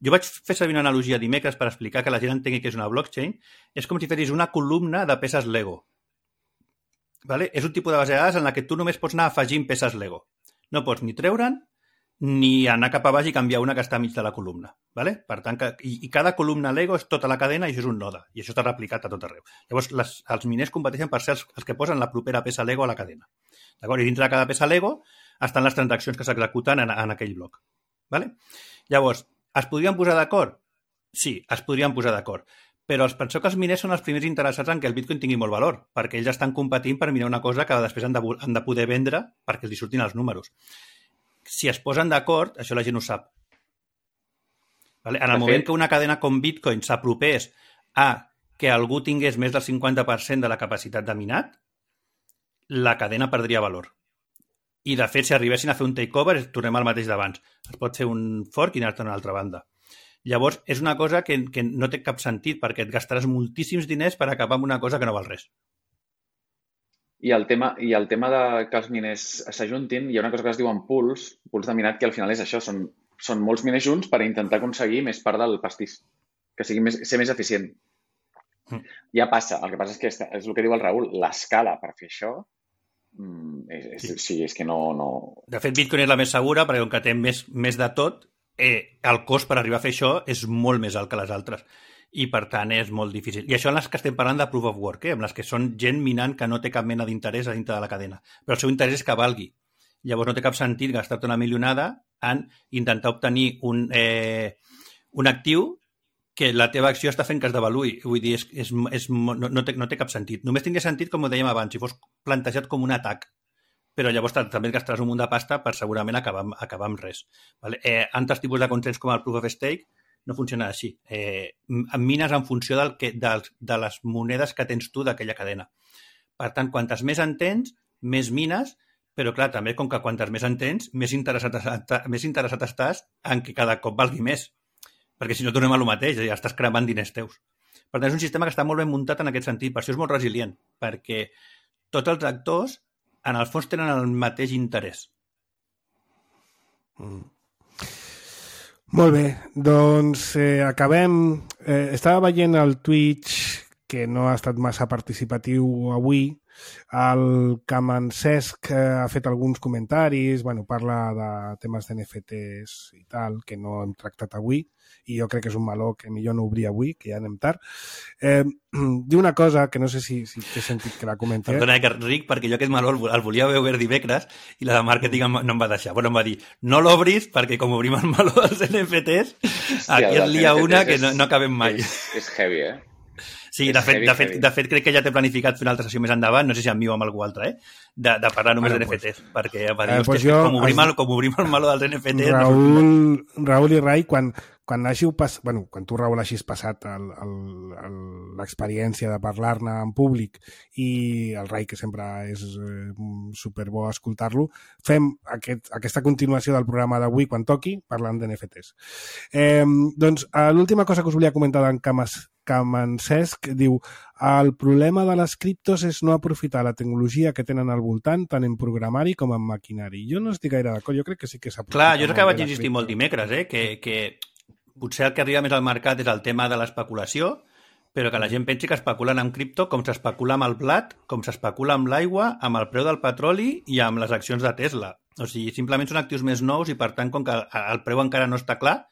C: Jo vaig fer servir una analogia dimecres per explicar que la gent entengui què és una blockchain. És com si fessis una columna de peces Lego. Vale? És un tipus de base de dades en la que tu només pots anar afegint peces Lego. No pots ni treure'n ni anar cap a baix i canviar una que està mig de la columna. Vale? Per tant, i cada columna Lego és tota la cadena i això és un node. I això està replicat a tot arreu. Llavors, els miners competeixen per ser els que posen la propera peça Lego a la cadena. D'acord? I dintre de cada peça Lego estan les transaccions que s'executen en aquell bloc. Vale? Llavors, es podrien posar d'acord? Sí, es podrien posar d'acord. Però penseu que els miners són els primers interessats en que el Bitcoin tingui molt valor, perquè ells estan competint per mirar una cosa que després han de poder vendre perquè els surtin els números. Si es posen d'acord, això la gent ho sap. Vale? En el moment que una cadena com Bitcoin s'apropés a que algú tingués més del 50% de la capacitat de minat, la cadena perdria valor. I, de fet, si arribessin a fer un takeover, tornem al mateix d'abans. Es pot fer un fork i anar-te'n a una altra banda. Llavors, és una cosa que no té cap sentit, perquè et gastaràs moltíssims diners per acabar amb una cosa que no val res.
D: I el tema de que els miners s'ajuntin, hi ha una cosa que es diuen pools de minat, que al final és això, són molts miners junts per intentar aconseguir més part del pastís, que sigui ser més eficient. Ja passa, el que passa és que és el que diu el Raül, l'escala per fer això, és que no...
C: De fet, Bitcoin és la més segura, perquè com que té més de tot, el cost per arribar a fer això és molt més alt que les altres. I, per tant, és molt difícil. I això en les que estem parlant de proof of work, amb les que són gent minant que no té cap mena d'interès a dintre de la cadena. Però el seu interès és que valgui. Llavors no té cap sentit gastar-te una milionada en intentar obtenir un actiu que la teva acció està fent que es devaluï. Vull dir, no té cap sentit. Només tindria sentit, com ho dèiem abans, si fos plantejat com un atac. Però llavors també et gastaràs un munt de pasta per segurament acabar amb res. Vale? Altres tipus de consens com el proof of stake no funciona així. Mines en funció de les monedes que tens tu d'aquella cadena. Per tant, quantes més en tens, més mines, però clar, també com que quantes més en tens, més interessat estàs en que cada cop valgui més. Perquè si no tornem a lo mateix, ja estàs cremant diners teus. Per tant, és un sistema que està molt ben muntat en aquest sentit, per això és molt resilient, perquè tots els actors, en el fons, tenen el mateix interès.
B: Molt bé, doncs acabem. Estava veient el Twitch, que no ha estat massa participatiu avui. El Camancesc ha fet alguns comentaris, parla de temes d'NFTs i tal, que no hem tractat avui, i jo crec que és un meló que millor no obrir avui, que ja anem tard. Diu una cosa que no sé si té sentit que la comenti.
C: Perdona, Ric, perquè jo aquest meló el volia veure dimecres i la de màrqueting no em va deixar. Bueno, em va dir, no l'obris perquè com obrim el meló dels NFTs, aquí es lia una que no acabem mai.
D: És heavy,
C: Sí, de fet, crec que ja té planificat fer una altra sessió més endavant, no sé si amb mi o amb algú altre, de parlar només d'NFTs, perquè va dir, com obrim el meló dels NFTs...
B: Raül i Rai, quan tu, Raül, hagis passat l'experiència de parlar-ne en públic i el Rai, que sempre és superbo escoltar-lo, fem aquesta continuació del programa d'avui quan toqui, parlant d'NFTs. Doncs l'última cosa que us volia comentar d'en Camancesc diu: el problema de les criptos és no aprofitar la tecnologia que tenen al voltant, tant en programari com en maquinari. Jo no estic gaire d'acord, jo crec que sí que s'aprofita.
C: Clar, jo crec que vaig insistir molt dimecres, que potser el que arriba més al mercat és el tema de l'especulació, però que la gent pensi que especulen amb cripto com s'especula amb el blat, com s'especula amb l'aigua, amb el preu del petroli i amb les accions de Tesla. O sigui, simplement són actius més nous i, per tant, com que el preu encara no està clar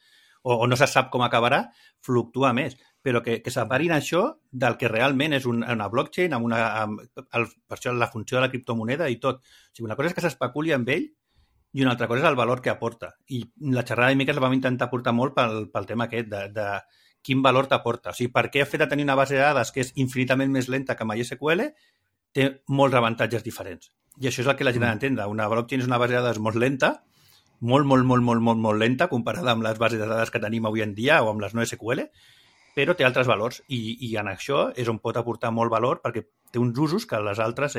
C: o no se sap com acabarà, fluctua més. Però que separin això del que realment és una blockchain, per això la funció de la criptomoneda i tot. O sigui, una cosa és que s'especuli amb ell i una altra cosa és el valor que aporta. I la xerrada de dimecres la vam intentar portar molt pel tema aquest, de quin valor t'aporta. O sigui, per què el fet de tenir una base de dades que és infinitament més lenta que MySQL té molts avantatges diferents. I això és el que la gent ha d'entendre. Una blockchain és una base de dades molt lenta, molt lenta comparada amb les bases de dades que tenim avui en dia o amb les NoSQL, però té altres valors i en això és on pot aportar molt valor perquè té uns usos que les altres,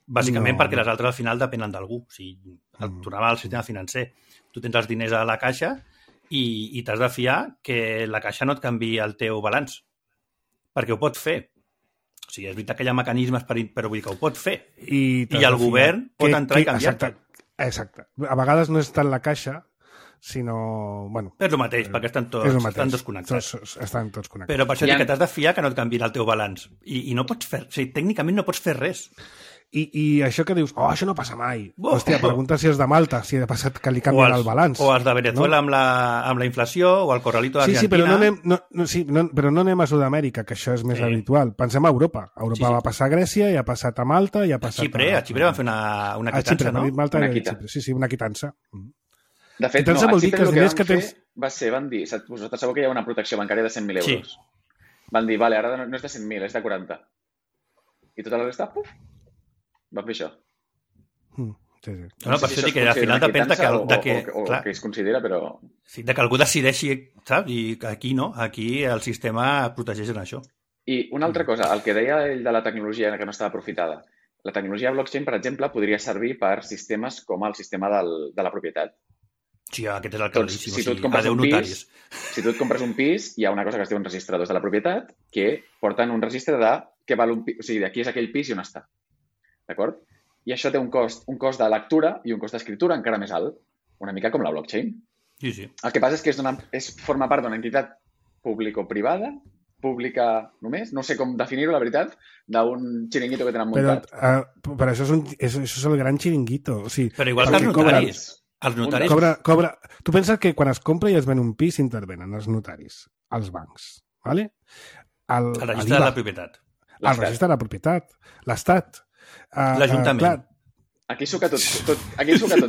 C: bàsicament perquè les altres al final depenen d'algú. O sigui, tornava al sistema financer. Tu tens els diners a la caixa i t'has de fiar que la caixa no et canviï el teu balanç, perquè ho pot fer. O sigui, és veritat que hi ha mecanismes però vull dir que ho pot fer. I el govern pot entrar i canviar-te.
B: Exacte. A vegades no és tant la caixa, sinó... Bueno,
C: és el mateix, perquè estan desconnectats.
B: Estan tots connectats.
C: Però per això dic que t'has de fiar que no et canviïn el teu balanç. I no pots fer... O sigui, tècnicament no pots fer res.
B: I això que dius, això no passa mai. Hòstia, pregunta si és de Malta, si ha passat que li canvien el balanç.
C: O els de Venezuela, no? amb la inflació, o el corralito d'Argentina.
B: Sí, però no anem a Sud-amèrica, que això és més habitual. Pensem a Europa. A Europa va passar a Grècia, i ha passat a Malta, i ha passat
C: a Xipre van fer una quitança, no?
B: Malta, sí, una quitança.
D: De fet,
B: quitança vol dir que els diners que tens...
D: van dir, vosaltres sabeu que hi ha una protecció bancària de 100.000 euros. Van dir, vale, ara no és de 100.000, és de 40. I tota la resta, puf, van fer això.
B: Sí.
C: No, per això dic que al final depèn de
D: que es considera, però...
C: Sí, de que algú decideixi, saps? I aquí no, aquí el sistema protegeix en això.
D: I una altra cosa, el que deia ell de la tecnologia que no estava aprofitada. La tecnologia blockchain, per exemple, podria servir per sistemes com el sistema de la propietat.
C: Sí, aquest és el claríssim.
D: Si tu et compres un pis, hi ha una cosa que es diu registradors de la propietat que porten un registre de què val un pis, o sigui, de qui és aquell pis i on està. D'acord? I això té un cost de lectura i un cost d'escriptura encara més alt, una mica com la blockchain.
C: Sí.
D: El que passa és que forma part d'una entitat público-privada, pública només, no sé com definir-ho, la veritat, d'un xiringuito que tenen muntat.
B: Però això és el gran xiringuito. O sigui,
C: però igual que els notaris. Els notaris...
B: Cobra. Tu penses que quan es compra i es ven un pis intervenen els notaris, els bancs, ¿vale?
C: El registre de la propietat.
B: El registre de la propietat, l'Estat.
C: L'Ajuntament.
D: Aquí suca tot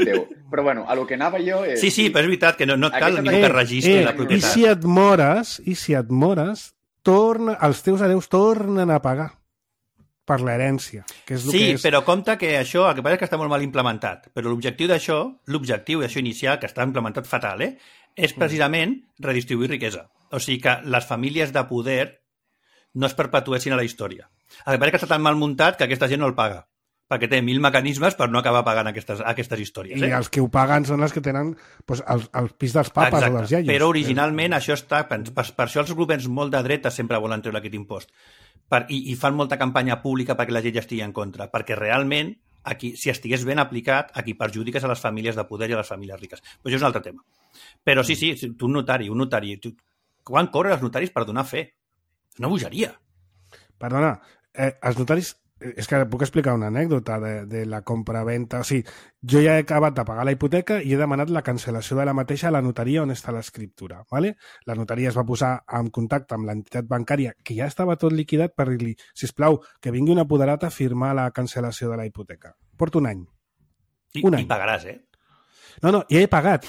D: Déu. Però bueno, a lo que anava jo és...
C: Sí, però és veritat que no et cal ningú que registri la propietat.
B: I si et mores, els teus hereus tornen a pagar per l'herència. Que és
C: sí, però compte que això, el que passa és que està molt mal implementat, però l'objectiu d'això inicial, que està implementat fatal, és precisament redistribuir riquesa. O sigui que les famílies de poder no es perpetuessin a la història. El que passa és que està tan mal muntat que aquesta gent no el paga, perquè té 1.000 mecanismes per no acabar pagant aquestes històries.
B: I els que ho paguen són els que tenen el pis dels papes.
C: Exacte.
B: O dels iaios.
C: Però originalment això està... Per això els governs molt de dreta sempre volen treure aquest impost. I fan molta campanya pública perquè la gent ja estigui en contra. Perquè realment, aquí, si estigués ben aplicat, aquí perjudiques a les famílies de poder i a les famílies riques. Però això és un altre tema. Però sí, tu un notari. Quan cobren els notaris per donar fe? És una bogeria.
B: Perdona, els notaris... És que puc explicar una anècdota de la compra-venta. O sigui, jo ja he acabat de pagar la hipoteca i he demanat la cancel·lació de la mateixa a la notaria on està l'escriptura. ¿Vale? La notaria es va posar en contacte amb l'entitat bancària, que ja estava tot liquidat, per dir-li, sisplau, que vingui un apoderat a firmar la cancel·lació de la hipoteca. Porto un any. Un any.
C: I pagaràs,
B: No, ja he pagat.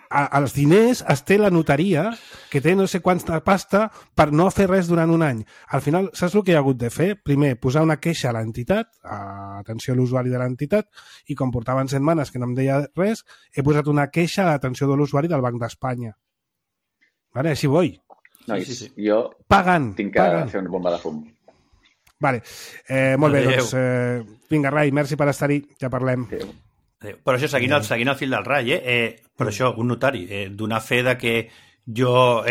B: Els diners es té la notaria, que té no sé quanta pasta, per no fer res durant un any. Al final, saps el que hi ha hagut de fer? Primer, posar una queixa a l'entitat, atenció a l'usuari de l'entitat, i com portaven setmanes que no em deia res, he posat una queixa a l'atenció de l'usuari del Banc d'Espanya. Vale, així vull.
D: Nois, jo tinc que fer una bomba de fum.
B: Vale, molt bé, doncs vinga, Rai, merci per estar-hi, ja parlem.
C: Però això, seguint el fil del Rai, però això, un notari, donar fe de que jo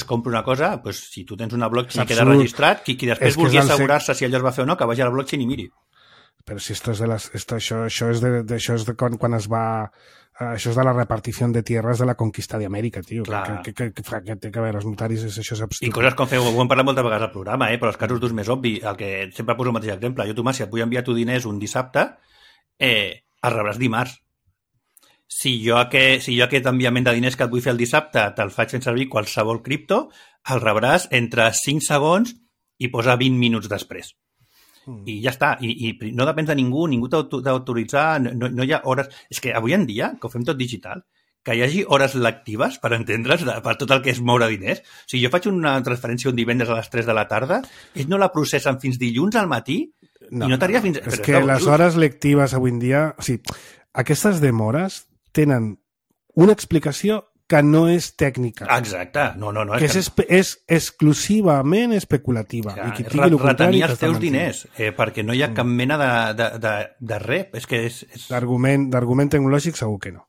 C: compro una cosa, pues, si tu tens una blockchain que queda registrat, qui després vulgui assegurar-se si allò es va fer o no, que vagi a la blockchain i miri.
B: Però si això és de quan es va... Això és de la repartició de tierras de la conquista d'Amèrica, tio. Que té que veure els notaris, això és absurd.
C: I coses com ho hem parlat moltes vegades al programa, però els casos d'ús més obvi, el que sempre poso el mateix exemple. Jo, Tomàs, si et vull enviar tu diners un dissabte, el rebràs dimarts. Si jo aquest enviament de diners que et vull fer el dissabte te'l faig fent servir qualsevol cripto, el rebràs entre 5 segons i posa 20 minuts després. I ja està. I no depèn de ningú t'ha d'autoritzar, no hi ha hores... És que avui en dia, que ho fem tot digital, que hi hagi hores lectives, per entendre's, per tot el que és moure diners. O sigui, jo faig una transferència un divendres a les 3 de la tarda, ells no la processen fins dilluns al matí I no t'arriba fins...
B: És que les hores lectives avui en dia... O sigui, aquestes demores tenen una explicació que no és tècnica.
C: Exacte. No.
B: Que és exclusivament especulativa.
C: Ja,
B: I qui digui el contrari...
C: Retenir els teus diners, perquè no hi ha cap mena de res. És que és...
B: D'argument tecnològic segur que no.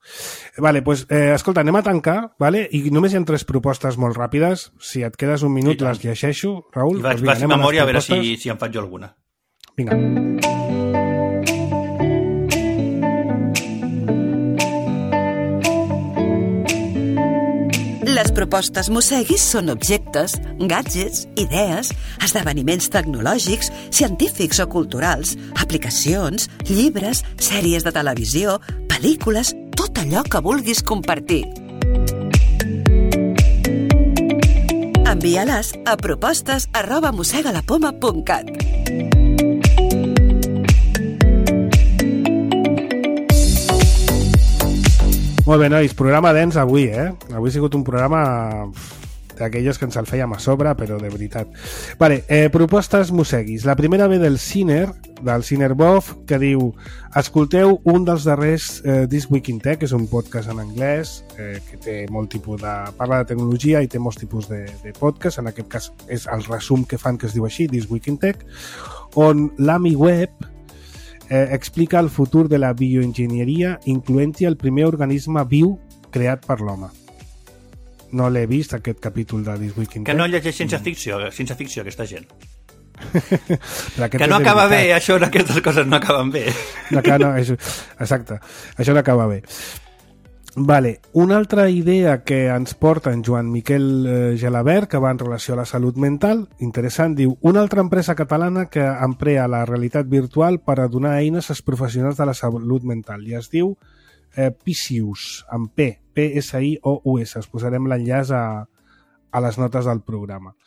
B: Vale, pues, escolta, anem a tancar, vale? I només hi ha 3 propostes molt ràpides. Si et quedes un minut, les llegeixo, Raül.
C: I vaig fer memòria a veure si em faig jo alguna.
B: Vinga.
E: Les propostes Mosseguis són objectes, gadgets, idees, esdeveniments tecnològics, científics o culturals, aplicacions, llibres, sèries de televisió, pel·lícules, tot allò que vulguis compartir. Envia-les a propostes@mossegalapoma.cat.
B: Molt bé, nois, programa dens avui, Avui ha sigut un programa d'aquelles que ens el fèiem a sobre, però de veritat. Vale, propostes Mosseguis. La primera ve del Ciner Bof, que diu: escolteu un dels darrers This Week in Tech, que és un podcast en anglès, que té molt tipus de... parla de tecnologia i té molts tipus de podcast. En aquest cas és el resum que fan, que es diu així, This Week in Tech, on l'AMI Web explica el futur de la bioenginyeria, incloent-hi el primer organisme viu creat per l'home. No l'he vist, aquest capítol de This Week in Tech.
C: Que no llegeix ciència ficció aquesta gent.
B: Que
C: no acaba bé, això, aquestes coses no acaben bé.
B: Exacte, això no acaba bé. Vale, una altra idea que ens porta en Joan Miquel Gelabert, que va en relació a la salut mental, interessant, diu: una altra empresa catalana que emprea la realitat virtual per a donar eines als professionals de la salut mental, i es diu Pisius, amb P, P-S-I-O-U-S. Es posarem l'enllaç a les notes del programa.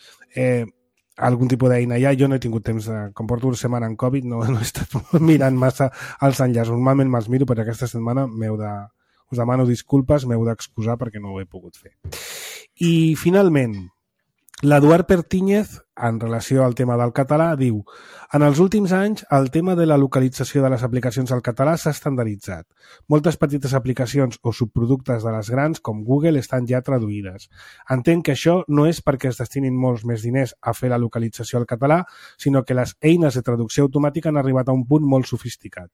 B: Algun tipus d'eina ja, jo no he tingut temps com porto una setmana en Covid, no he estat mirant massa els enllaços. Normalment me'ls miro, però aquesta setmana us demano disculpes, m'heu d'excusar perquè no ho he pogut fer. I, finalment, l'Eduard Pertíñez, en relació al tema del català, diu: en els últims anys, el tema de la localització de les aplicacions al català s'ha estandarditzat. Moltes petites aplicacions o subproductes de les grans, com Google, estan ja traduïdes. Entenc que això no és perquè es destinin molts més diners a fer la localització al català, sinó que les eines de traducció automàtica han arribat a un punt molt sofisticat.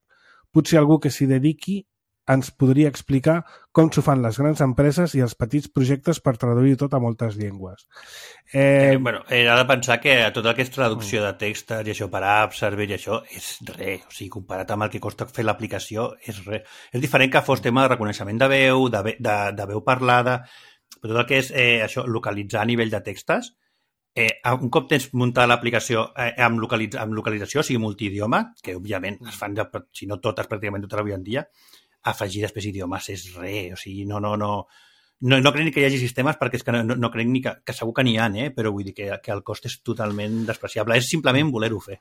B: Potser algú que s'hi dediqui ens podria explicar com s'ho fan les grans empreses i els petits projectes per traduir tot a moltes llengües.
C: Era de pensar que tot el que és traducció de textos i això per apps, server i això, és res. O sigui, comparat amb el que costa fer l'aplicació, és res. És diferent que fos tema de reconeixement de veu, de veu parlada, però tot el que és això, localitzar a nivell de textos, un cop tens muntat l'aplicació amb localització, o sigui, multidioma, que òbviament es fan, si no totes, pràcticament totes avui en dia, afegir després idiomes és res, o sigui, no crec ni que hi hagi sistemes, perquè és que no crec ni que segur que n'hi ha, però vull dir que el cost és totalment despreciable, és simplement voler-ho fer.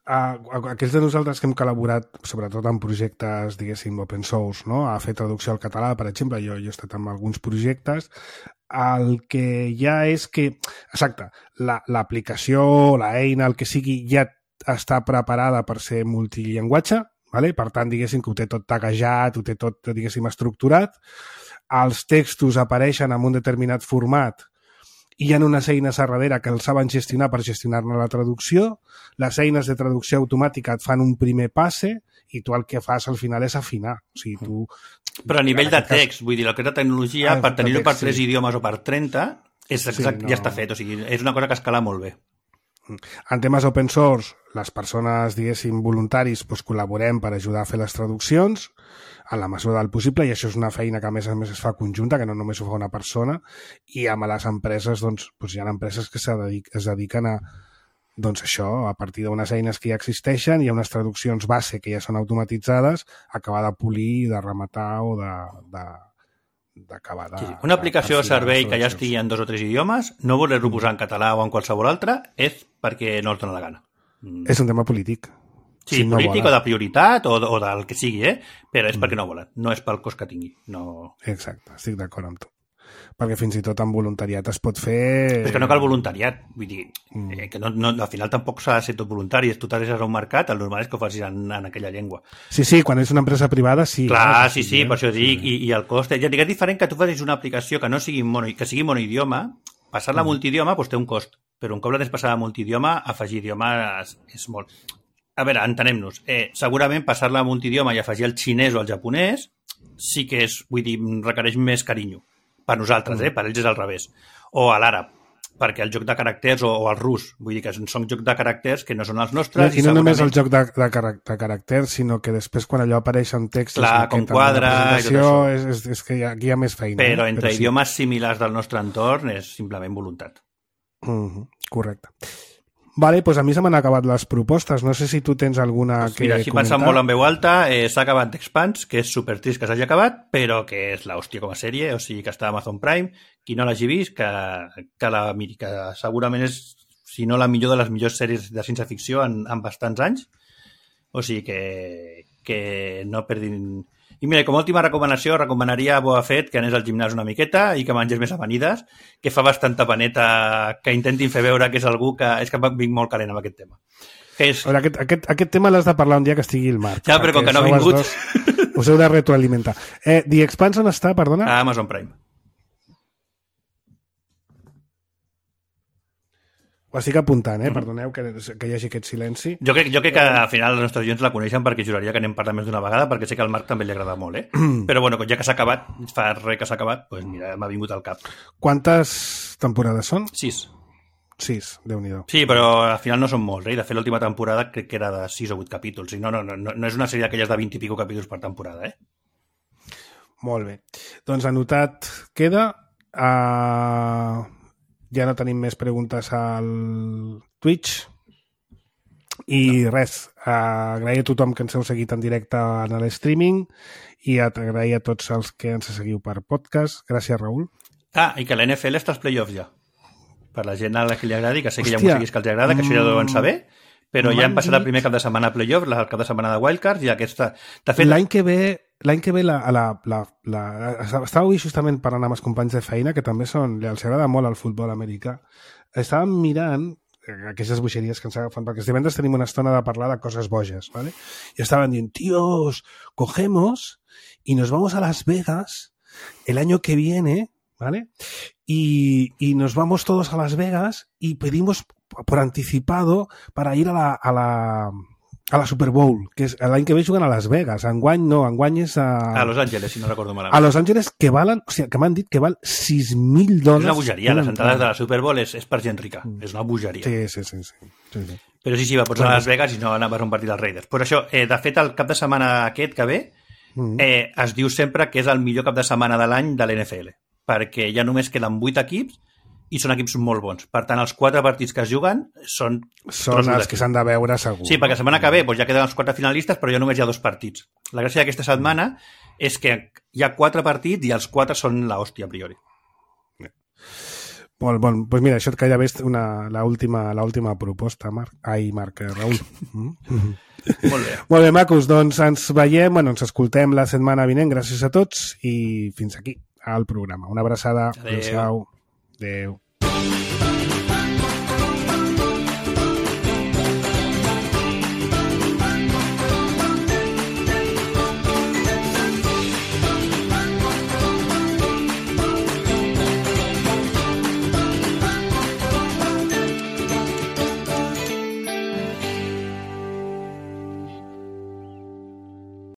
B: Aquells de nosaltres que hem col·laborat, sobretot en projectes, diguéssim, open source, no? A fer traducció al català, per exemple, jo he estat en alguns projectes, el que ja és que, exacte, l'aplicació, l'eina, el que sigui, ja està preparada per ser multillenguatge, vale? Per tant, diguéssim que ho té tot taguejat, ho té tot, diguéssim, estructurat. Els textos apareixen en un determinat format i hi ha unes eines a darrere que els saben gestionar per gestionar-ne la traducció. Les eines de traducció automàtica et fan un primer passe i tu el que fas al final és afinar. O sigui, tu...
C: Però a nivell de text, vull dir, el que és la tecnologia, per tenir-ho per 3 idiomes o per 30, ja està fet. O sigui, és una cosa que escala molt bé.
B: En temes open source, les persones, diguéssim, voluntaris, col·laborem per ajudar a fer les traduccions en la mesura del possible, i això és una feina que a més es fa conjunta, que no només ho fa una persona, i amb les empreses, doncs, hi ha empreses que es dediquen a, doncs això, a partir d'unes eines que ja existeixen, hi ha unes traduccions base que ja són automatitzades, acabar de polir, de rematar o d'acabar de...
C: Sí, una aplicació o servei que ja estigui en 2 o 3 idiomes, no voler-lo posar en català o en qualsevol altre, és perquè no els dona la gana.
B: És un tema polític.
C: Sí, si polític no o de prioritat o del que sigui, però és perquè no volen, no és pel cost que tingui. No...
B: Exacte, estic d'acord amb tu. perquè fins i tot amb voluntariat es pot fer...
C: Però és que no cal voluntariat, vull dir, que al final tampoc s'ha de ser tot voluntari, tu t'adreces a un mercat, el normal és que ho facis en aquella llengua.
B: Sí, quan és una empresa privada, sí.
C: Clar, sí, per això dic, i el cost... Ja dic, és diferent que tu facis una aplicació que no sigui que sigui monoidioma, passar-la a multidioma doncs té un cost, però un cop la tens passada a multidioma, afegir idiomes és molt... A veure, entenem-nos, segurament passar-la a multidioma i afegir el xinès o el japonès sí que és, vull dir, requereix més carinyo. Per nosaltres, per ells és al revés. O a l'àrab, perquè el joc de caràcters o el rus, vull dir que són jocs de caràcters que no són els nostres.
B: I no només el joc de caràcters, sinó que després quan allò apareix en text...
C: Clar, com quadra i tot
B: això. És que aquí hi ha més feina.
C: Però entre idiomes similars del nostre entorn és simplement voluntat.
B: Correcte. Vale, doncs a mi se m'han acabat les propostes. No sé si tu tens alguna que
C: mira, així
B: comentar.
C: pensant molt en veu alta, s'ha acabat d'Expanse, que és supertrist que s'hagi acabat, però que és l'hòstia com a sèrie, o sigui que està a Amazon Prime. Qui no l'hagi vist, que la miri, que segurament és, si no la millor de les millors sèries de ciència-ficció en bastants anys. O sigui que no perdin... I mira, com a última recomanació, recomanaria a Boa Fett que anés al gimnàs una miqueta i que mengés més amanides, que fa bastanta paneta que intentin fer veure que és algú que... És que vinc molt calent amb aquest tema.
B: Aquest tema l'has de parlar un dia que estigui el Marc.
C: Ja, però com que no ha vingut...
B: Us heu de retroalimentar. The Expanse on està, perdona?
C: A Amazon Prime.
B: Ho estic apuntant, perdoneu que hi hagi aquest silenci.
C: Jo crec que al final els nostres oients la coneixen perquè juraria que n'hem parlat més d'una vegada, perquè sé que al Marc també li agrada molt, Però bueno, ja que s'ha acabat, fa res que s'ha acabat, doncs mira, m'ha vingut al cap.
B: Quantes temporades són?
C: 6.
B: 6, Déu-n'hi-do.
C: Sí, però al final no són molts, De fet, l'última temporada crec que era de 6 o 8 capítols. No és una sèrie d'aquelles de 20 i pico capítols per temporada,
B: Molt bé. Doncs anotat queda... Ja no tenim més preguntes al Twitch i res, agrair a tothom que ens heu seguit en directe en l'streaming i agrair a tots els que ens seguiu per podcast. Gràcies, Raül.
C: I que la NFL està als playoffs ja, per la gent a la que li agradi, que sé que hi ha músics que els agrada, que això ja ho deuen saber, però ja hem passat el primer cap de setmana a playoff, el cap de setmana de wildcards i aquesta... De fet,
B: l'any que ve estava avui justament parlant amb els companys de feina que també els agrada molt el futbol americà. Estàvem mirant aquestes bogeries que ens agafen, perquè els divendres tenim una estona de parlar de coses boges, ¿vale? Y estaban dient, tíos, cogemos y nos vamos a Las Vegas el año que viene, ¿vale? Y nos vamos todos a Las Vegas y pedimos por anticipado para ir a la Super Bowl, que és l'any que ve juguen a Las Vegas. Enguany no, enguany és
C: a Los Angeles, si no recordo malament.
B: A Los Angeles, que valen, o sigui, que m'han dit que val $6.000.
C: És una bogeria, les entrades de la Super Bowl és per gent rica, és una bogeria.
B: Sí.
C: Però sí, va posar a Las Vegas i no anaves a un partit dels Raiders. Pues això, de fet, el cap de setmana aquest que ve es diu sempre que és el millor cap de setmana de l'any de l'NFL, perquè ja només queden 8 equips i són equips molt bons. Per tant, els 4 partits que es juguen són
B: els que s'han de veure segur.
C: Sí, perquè la setmana que ve ja queden els 4 finalistes, però ja només hi ha 2 partits. La gràcia d'aquesta setmana és que hi ha 4 partits i els 4 són l'hòstia a priori.
B: Molt bon. Doncs mira, això et gairebé és l'última proposta, Raül.
C: Molt bé.
B: Molt bé, macos. Doncs ens veiem, ens escoltem la setmana vinent. Gràcies a tots i fins aquí al programa. Una abraçada.
C: Adéu.
B: Adéu.